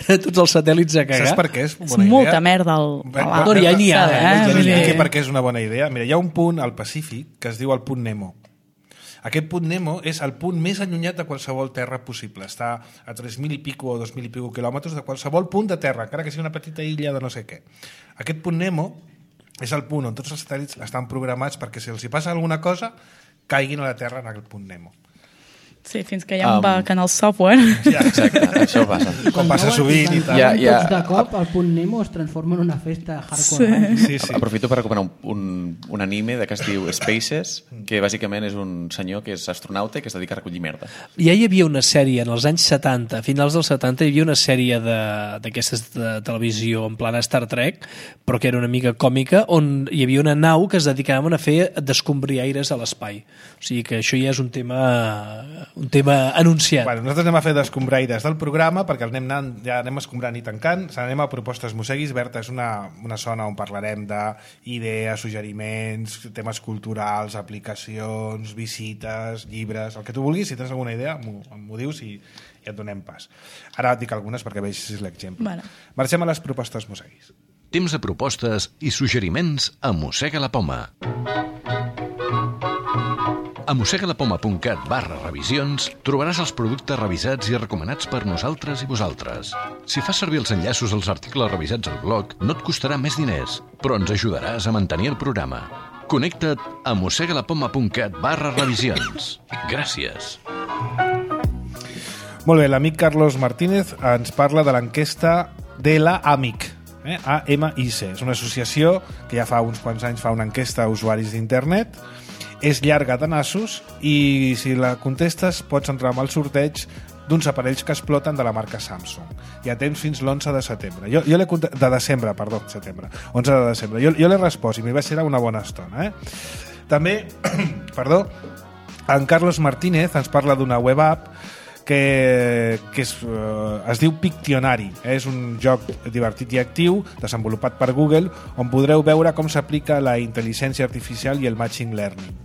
tots els satèl·lits a cagar. Saps per què és És bona molta idea? merda al, Bé, a bé, la... No, ja n'hi ha, Sabe, eh? Ja Vull us dir- explico per què és una bona idea. Mira, hi ha un punt al Pacífic que es diu el punt Nemo. Aquest punt Nemo és el punt més allunyat de qualsevol terra possible. Està a tres mil i pico o dos mil i pico quilòmetres de qualsevol punt de terra, encara que sigui una petita illa de no sé què. Aquest punt Nemo és el punt on tots els satèl·lits estan programats perquè si els hi passa alguna cosa caiguin a la Terra en aquest punt Nemo. Sí, fins que hi ha un Um, bug en el software. Ja, Exacte, això passa. com passa sovint i tal. Ja, ja. Tots de cop, el punt Nemo es transforma en una festa hardcore. Sí. Sí. Sí, sí. Aprofito per recomanar un, un, un anime de que es diu Spaces, que bàsicament és un senyor que és astronauta i que es dedica a recollir merda. Ja hi havia una sèrie en els anys setanta, a finals dels setanta, hi havia una sèrie de- d'aquestes de, de televisió en plan Star Trek, però que era una mica còmica, on hi havia una nau que es dedicaven a fer descombriaires a l'espai. O sigui que això ja és un tema, un tema anunciat. Bueno, nosaltres anem a fer d'escombraires del programa perquè el anem anant, ja anem escombrant i tancant. Se n'anem a propostes mosseguis. Berta, és una, una zona on parlarem d'idees, suggeriments, temes culturals, aplicacions, visites, llibres, el que tu vulguis. Si tens alguna idea, m'ho dius i, i et donem pas. Ara et dic algunes perquè vegis l'exemple. Vale. Marxem a les propostes mosseguis. Temps de propostes i suggeriments a Mossega la Poma. A mossegalapoma.cat barra revisions trobaràs els productes revisats i recomanats per nosaltres i vosaltres. Si fas servir els enllaços als articles revisats al blog, no et costarà més diners, però ens ajudaràs a mantenir el programa. Connecta't a mossegalapoma.cat barra revisions. Gràcies. Molt bé, l'amic Carlos Martínez ens parla de l'enquesta de la AMIC. Eh? A M I C. És una associació que ja fa uns quants anys fa una enquesta a usuaris d'internet. És llarga de nassos i si la contestes pots entrar amb el sorteig d'uns aparells que exploten de la marca Samsung. Hi ha temps fins l'onze de setembre. Jo, jo l'he conte- de desembre, perdó, setembre. onze de desembre. Jo, jo l'he respost i m'hi va ser una bona estona. Eh? També, perdó, en Carlos Martínez ens parla d'una web app que, que es, uh, es diu Pictionary. Eh? És un joc divertit i actiu desenvolupat per Google on podreu veure com s'aplica la intel·ligència artificial i el machine learning.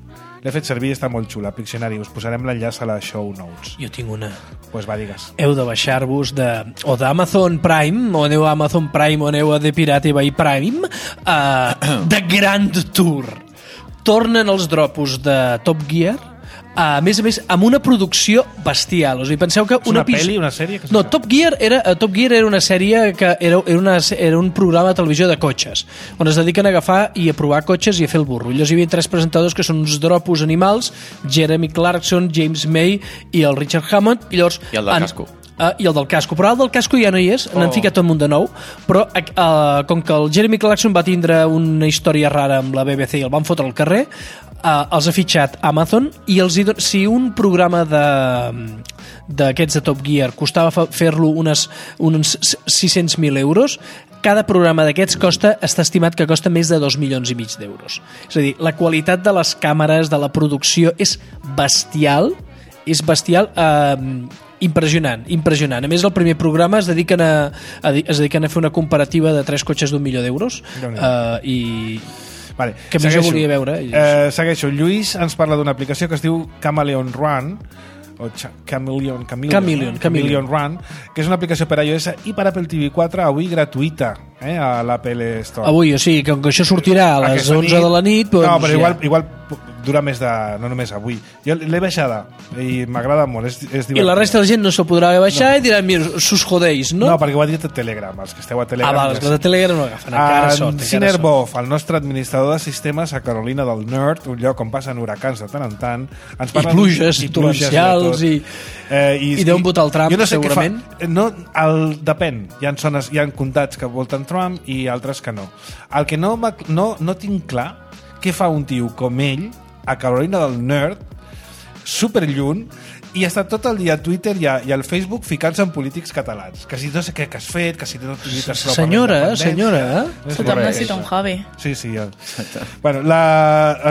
L'he fet servir i està molt xula, Pictionary. Us posarem l'enllaç a les show notes. Jo tinc una. Pues va, digues. Heu de baixar-vos de, o d'Amazon Prime, o aneu a Amazon Prime, o aneu a The Pirate Bay Prime, uh, The Grand Tour. Tornen els dropos de Top Gear, a més a més, amb una producció bestial. O sigui, penseu que És una episodi- pel·li, una sèrie? Que No, Top Gear era, uh, Top Gear era una sèrie que era, era, una, era un programa de televisió de cotxes, on es dediquen a agafar i a provar cotxes i a fer el burro. Llavors hi havia tres presentadors que són uns dropos animals, Jeremy Clarkson, James May i el Richard Hammond. I, llavors, I el del han- casco. Uh, i el del casco, però el del casco ja no hi és, oh. n'han ficat tot un munt de nou, però uh, com que el Jeremy Clarkson va tindre una història rara amb la B B C i el van fotre al carrer, uh, els ha fitxat Amazon i els hi don... si un programa de d'aquests de Top Gear costava fa- fer-lo unes, uns sis-cents mil euros, cada programa d'aquests costa, està estimat que costa més de dos milions i mig d'euros. És a dir, la qualitat de les càmeres, de la producció és bestial, és bestial, eh, impressionant, impressionant. A més, el primer programa es dediquen a, a, es dediquen a fer una comparativa de tres cotxes d'un milió d'euros uh, i Vale. que més jo volia veure. I... Eh, segueixo. Lluís ens parla d'una aplicació que es diu Chameleon Run, o Chameleon, Chameleon, Chameleon, eh? Chameleon Run, que és una aplicació per iOS i per Apple T V quatre, avui gratuïta, eh, a l'Apple Store. Avui, o sigui, com que això sortirà a les Aquesta onze de la nit... Doncs, no, però ja. igual, igual dura més de... no només avui. Jo l'he baixada i m'agrada molt, és, és divertit. I la resta de la gent no s'ho podrà baixar no. i diran, mira, sus jodeix, no? No, perquè ho ha dit a Telegram, els que esteu a Telegram. Ah, val, els que de Telegram no agafen, encara sort. En Cinerbov, el nostre administrador de sistemes a Carolina del Nord, un lloc on passen huracans de tant en tant, ens parla I pluges, i torrencials, i... Eh, i, I deuen votar el Trump, jo no sé segurament. Fa, no, el, depèn. Hi ha, zones, hi ha comtats que voten Trump i altres que no. El que no, no, no tinc clar què fa un tio com ell a Carolina del Nord, superlluny, i està tot el dia a Twitter i, a, i al Facebook ficant-se en polítics catalans. Que si no sé què que has fet, que si no lluites prou per la Senyora, independència. senyora. És Tothom correcte. necessita un hobby. Sí, sí. Ja. Bueno, la,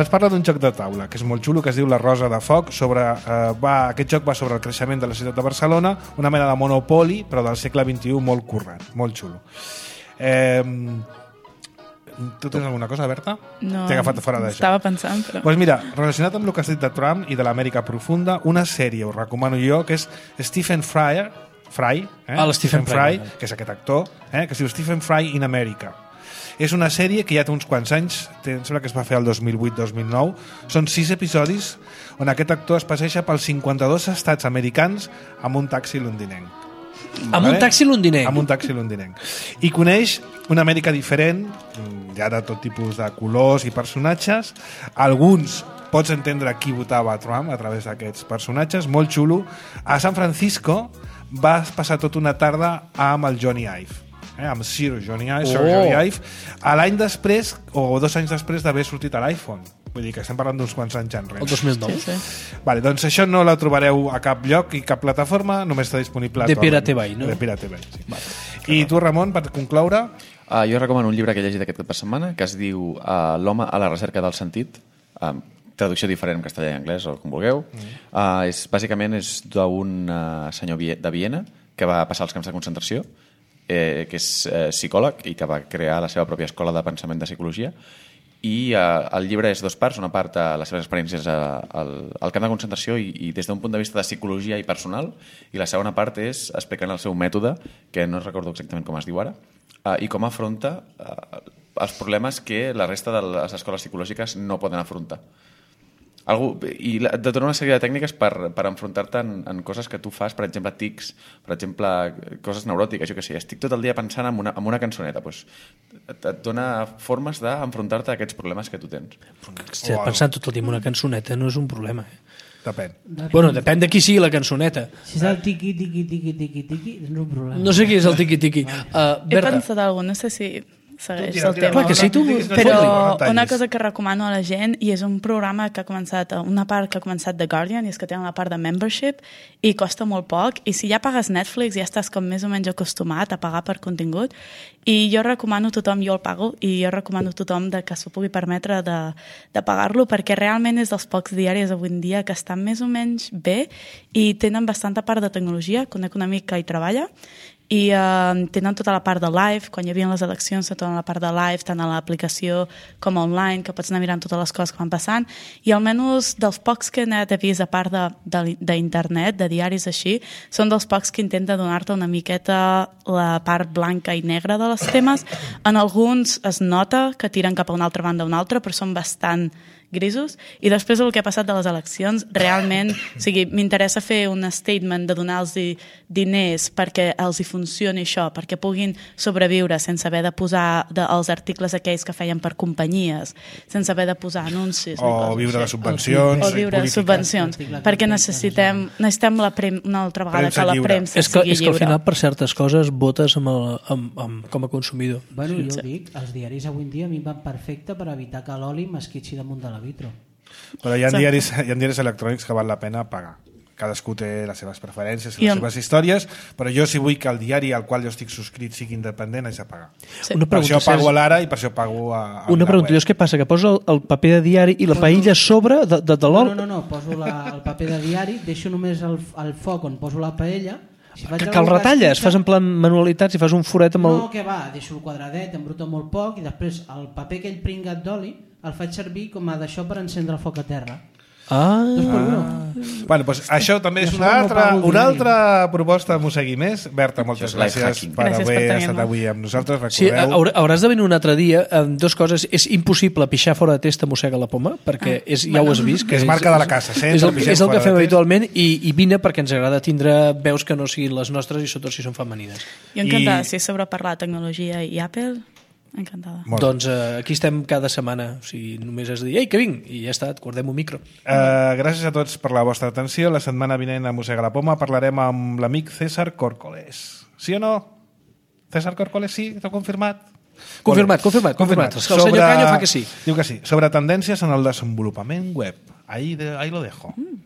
ens parla d'un joc de taula, que és molt xulo, que es diu La Rosa de Foc. Sobre, eh, va, aquest joc va sobre el creixement de la ciutat de Barcelona, una mena de monopoli, però del segle vint-i-u, molt currant, molt xulo. Eh, tu tens alguna cosa, Berta? No, T'he agafat fora d'això. estava pensant, però... Pues mira, relacionat amb el que has dit de Trump i de l'Amèrica profunda, una sèrie, us recomano jo, que és Stephen Fry, Fry, eh? Ah, el Stephen Fry, Fry, que és aquest actor, eh? que es diu Stephen Fry in America. És una sèrie que ja té uns quants anys, té, em sembla que es va fer el dos mil vuit dos mil nou, són sis episodis on aquest actor es passeja pels cinquanta-dos estats americans amb un taxi londinenc. Amb un taxi londinenc? Amb un taxi londinenc. I coneix una Amèrica diferent, ja de tot tipus de colors i personatges, alguns pots entendre qui votava a Trump a través d'aquests personatges, molt xulo. A San Francisco vas passar tota una tarda amb el Johnny Ive, eh? amb Sir Johnny Ive, Sir Oh. Johnny Ive, a l'any després, o dos anys després d'haver sortit a l'iPhone. Vull dir que estem parlant d'uns quants anys enrere. El dos mil nou. Sí, sí. Vale, doncs això no la trobareu a cap lloc i cap plataforma, només està disponible a De Torrent. Pirate Bay, no? De Pirate Bay, sí. Vale. I tu, Ramon, per concloure... Uh, jo recomano un llibre que he llegit aquest cap de setmana que es diu uh, L'home a la recerca del sentit, uh, traducció diferent en castellà i anglès o com vulgueu. Mm. Uh, és, bàsicament és d'un uh, senyor de Viena que va passar els camps de concentració, eh, que és eh, psicòleg i que va crear la seva pròpia escola de pensament de psicologia. I uh, el llibre és dos parts, una part a les seves experiències a, al, al camp de concentració i, i des d'un punt de vista de psicologia i personal, i la segona part és explicant el seu mètode, que no recordo exactament com es diu ara, uh, i com afronta uh, els problemes que la resta de les escoles psicològiques no poden afrontar. Algú, i la, de tota una sèrie de tècniques per, per enfrontar-te en, en coses que tu fas, per exemple, tics, per exemple, coses neuròtiques, jo què sé, estic tot el dia pensant en una, en una cançoneta, doncs et, et dona formes d'enfrontar-te a aquests problemes que tu tens. Hòstia, pensant tot el dia en una cançoneta no és un problema. Eh? Depèn. Bueno, depèn de qui sigui la cançoneta. Si és el tiqui, tiqui, tiqui, tiqui, tiqui, és un problema. No sé qui és el tiqui-tiqui. Uh, He Berta, pensat alguna, no sé si segueix tira, el tira, tema. Clar que sí, tu- Però Fot-li, una cosa que recomano a la gent, i és un programa que ha començat, una part que ha començat The Guardian, i és que tenen la part de membership, i costa molt poc, i si ja pagues Netflix ja estàs com més o menys acostumat a pagar per contingut, i jo recomano a tothom, jo el pago, i jo recomano a tothom de que s'ho pugui permetre de, de pagar-lo, perquè realment és dels pocs diaris avui en dia que estan més o menys bé i tenen bastanta part de tecnologia, conec un amic que hi treballa, i eh, tenen tota la part de live, quan hi havia les eleccions, tota la part de live, tant a l'aplicació com online, que pots anar mirant totes les coses que van passant, i almenys dels pocs que he anat a vist, a part d'internet, de, de, de diaris així, són dels pocs que intenta donar-te una miqueta la part blanca i negra de les temes. En alguns es nota que tiren cap a una altra banda o una altra, però són bastant grisos, i després del que ha passat de les eleccions, realment, o sigui, m'interessa fer un statement de donar-los diners perquè els hi funcioni això, perquè puguin sobreviure sense haver de posar de, els articles aquells que feien per companyies, sense haver de posar anuncis. O viure de subvencions. O viure de polítiques. subvencions, perquè necessitem, necessitem la prem, una altra vegada Premsa que la lliure. premsa és que, sigui és que al lliure. final per certes coses votes amb el, amb, amb, com a consumidor. Bueno, jo ho dic, els diaris avui en dia a mi em van perfecte per evitar que l'oli m'esquitxi damunt de la vitro. Però hi ha, Sí. diaris, hi ha diaris electrònics que val la pena pagar. Cadascú té les seves preferències, I les amb- seves històries, però jo si vull que el diari al qual jo estic subscrit sigui independent, haig de pagar. Sí. Una Per això pregunta, pago a Sergi. l'Ara i per això pago a, a Una la pregunta, web. llavors què passa? Que posa el, el paper de diari i la paella a sobre de, de, de No, l'oli? no, no, no, poso la, el paper de diari, deixo només el, el foc on poso la paella. Si faig Que, que alguna el retalles, esquitxa- fas en plan manualitats i fas un foret amb el... No, que va, deixo el quadradet, embruto molt poc i després el paper aquell pringat d'oli el faig servir com a d'això per encendre el foc a terra. Ah, Dos per uno. Bueno, doncs això també és Jo una no altra, pago el una diari. altra proposta de Mossegui Més. Berta, moltes Això és life gràcies hacking. per Gràcies haver per tenir-me. estat avui amb nosaltres. sí, Recordeu, haurà- hauràs de venir un altre dia amb dos coses. És impossible pixar fora de testa mossega la poma, perquè és, ja ho has vist. Que és marca de la casa, sempre És el, pixem és el fora que de fem test. habitualment i, i vine perquè ens agrada tindre veus que no siguin les nostres i sobretot si són femenines. Jo encantada, I- si és sobre parlar de tecnologia i Apple, encantada. Molt bé. Doncs eh, aquí estem cada setmana. O sigui, només has de dir, ei, que vinc, i ja està, et guardem un micro. Uh, gràcies a tots per la vostra atenció. La setmana vinent a Mossega la Poma parlarem amb l'amic César Córcoles. Sí o no? César Córcoles, sí? T'ho confirmat? Confirmat, confirmat, confirmat. És que el senyor Canyo fa que sí. Diu que sí. Sobre tendències en el desenvolupament web. Ahí, de, ahí lo dejo. Mm.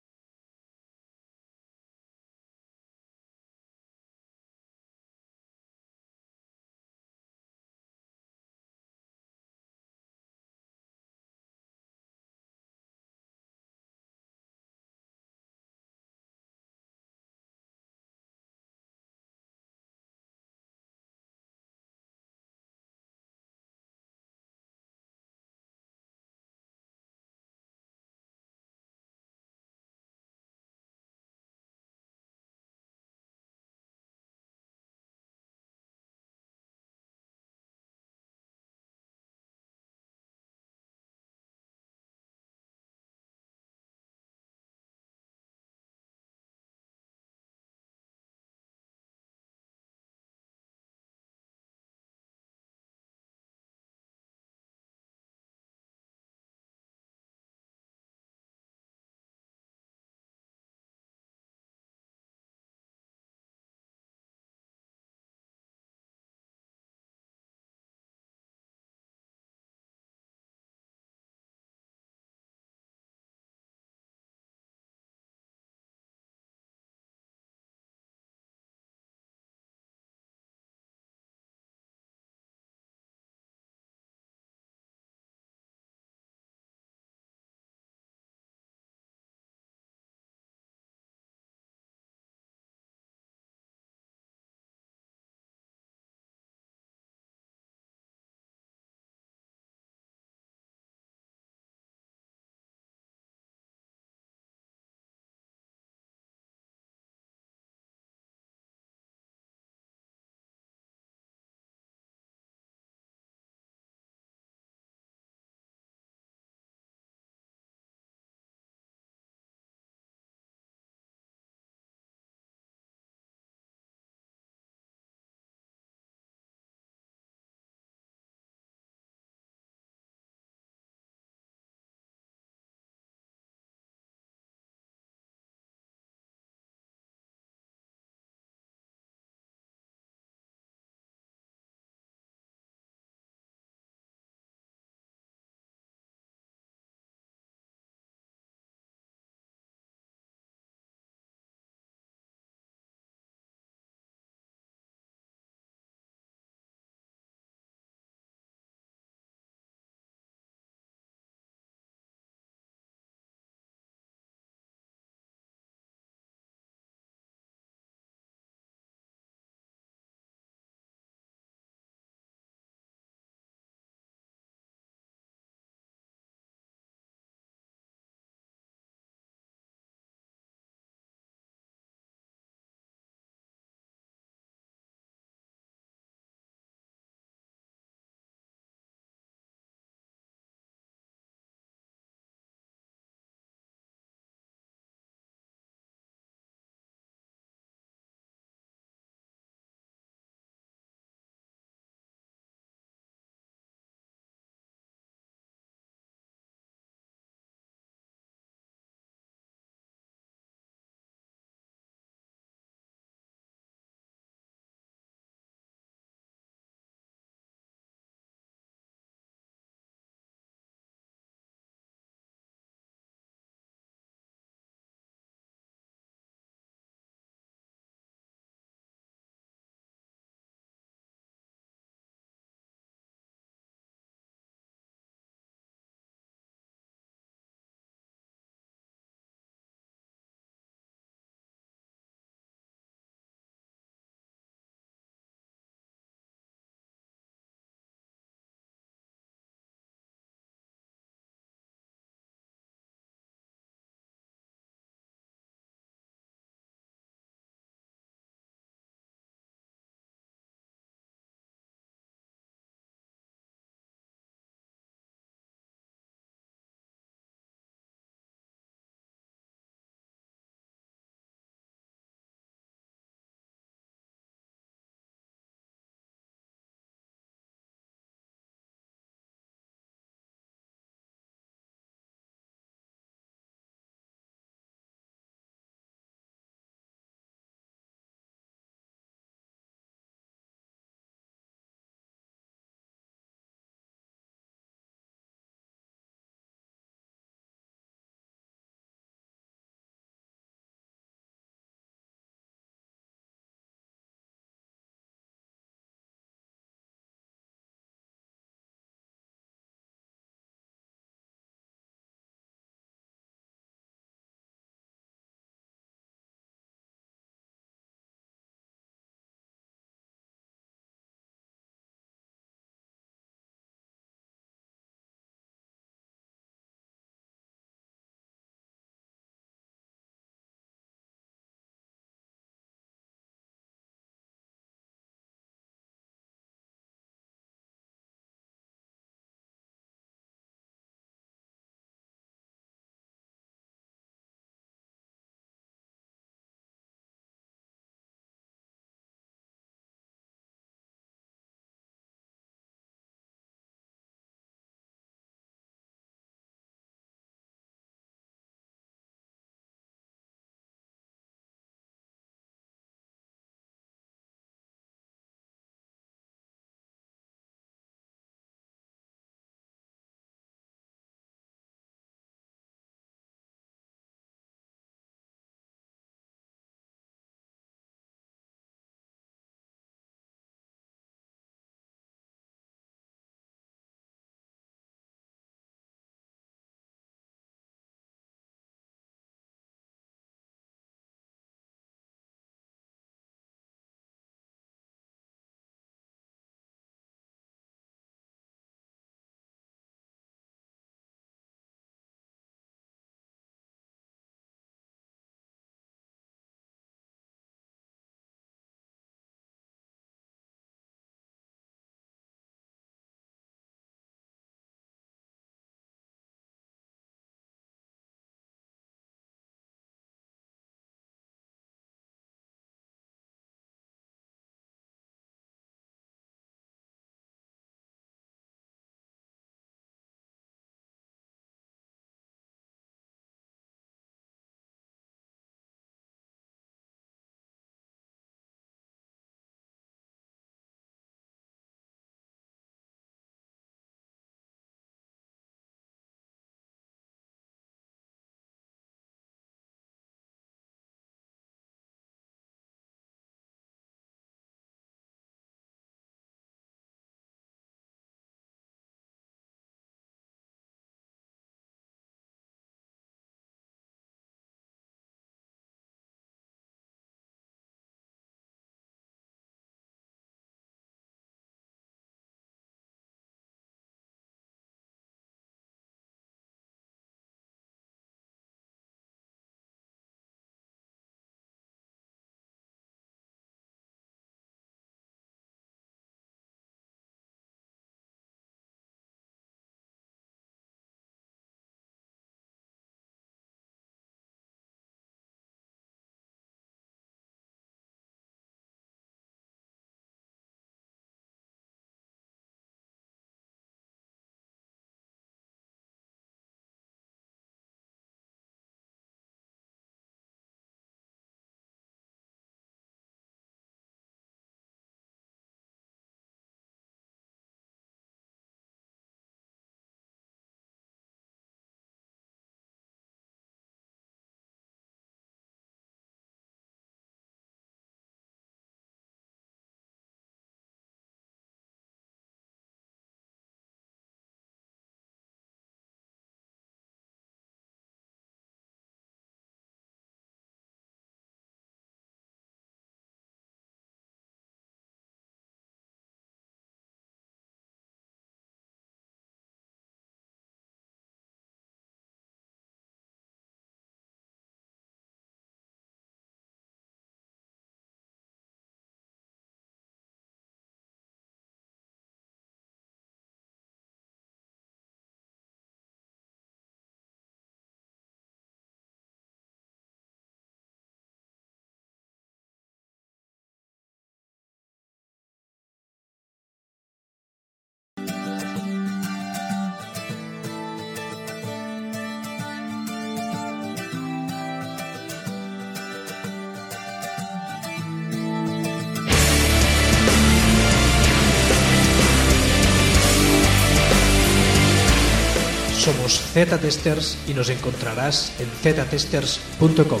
Somos Z Testers y nos encontrarás en z testers punto com.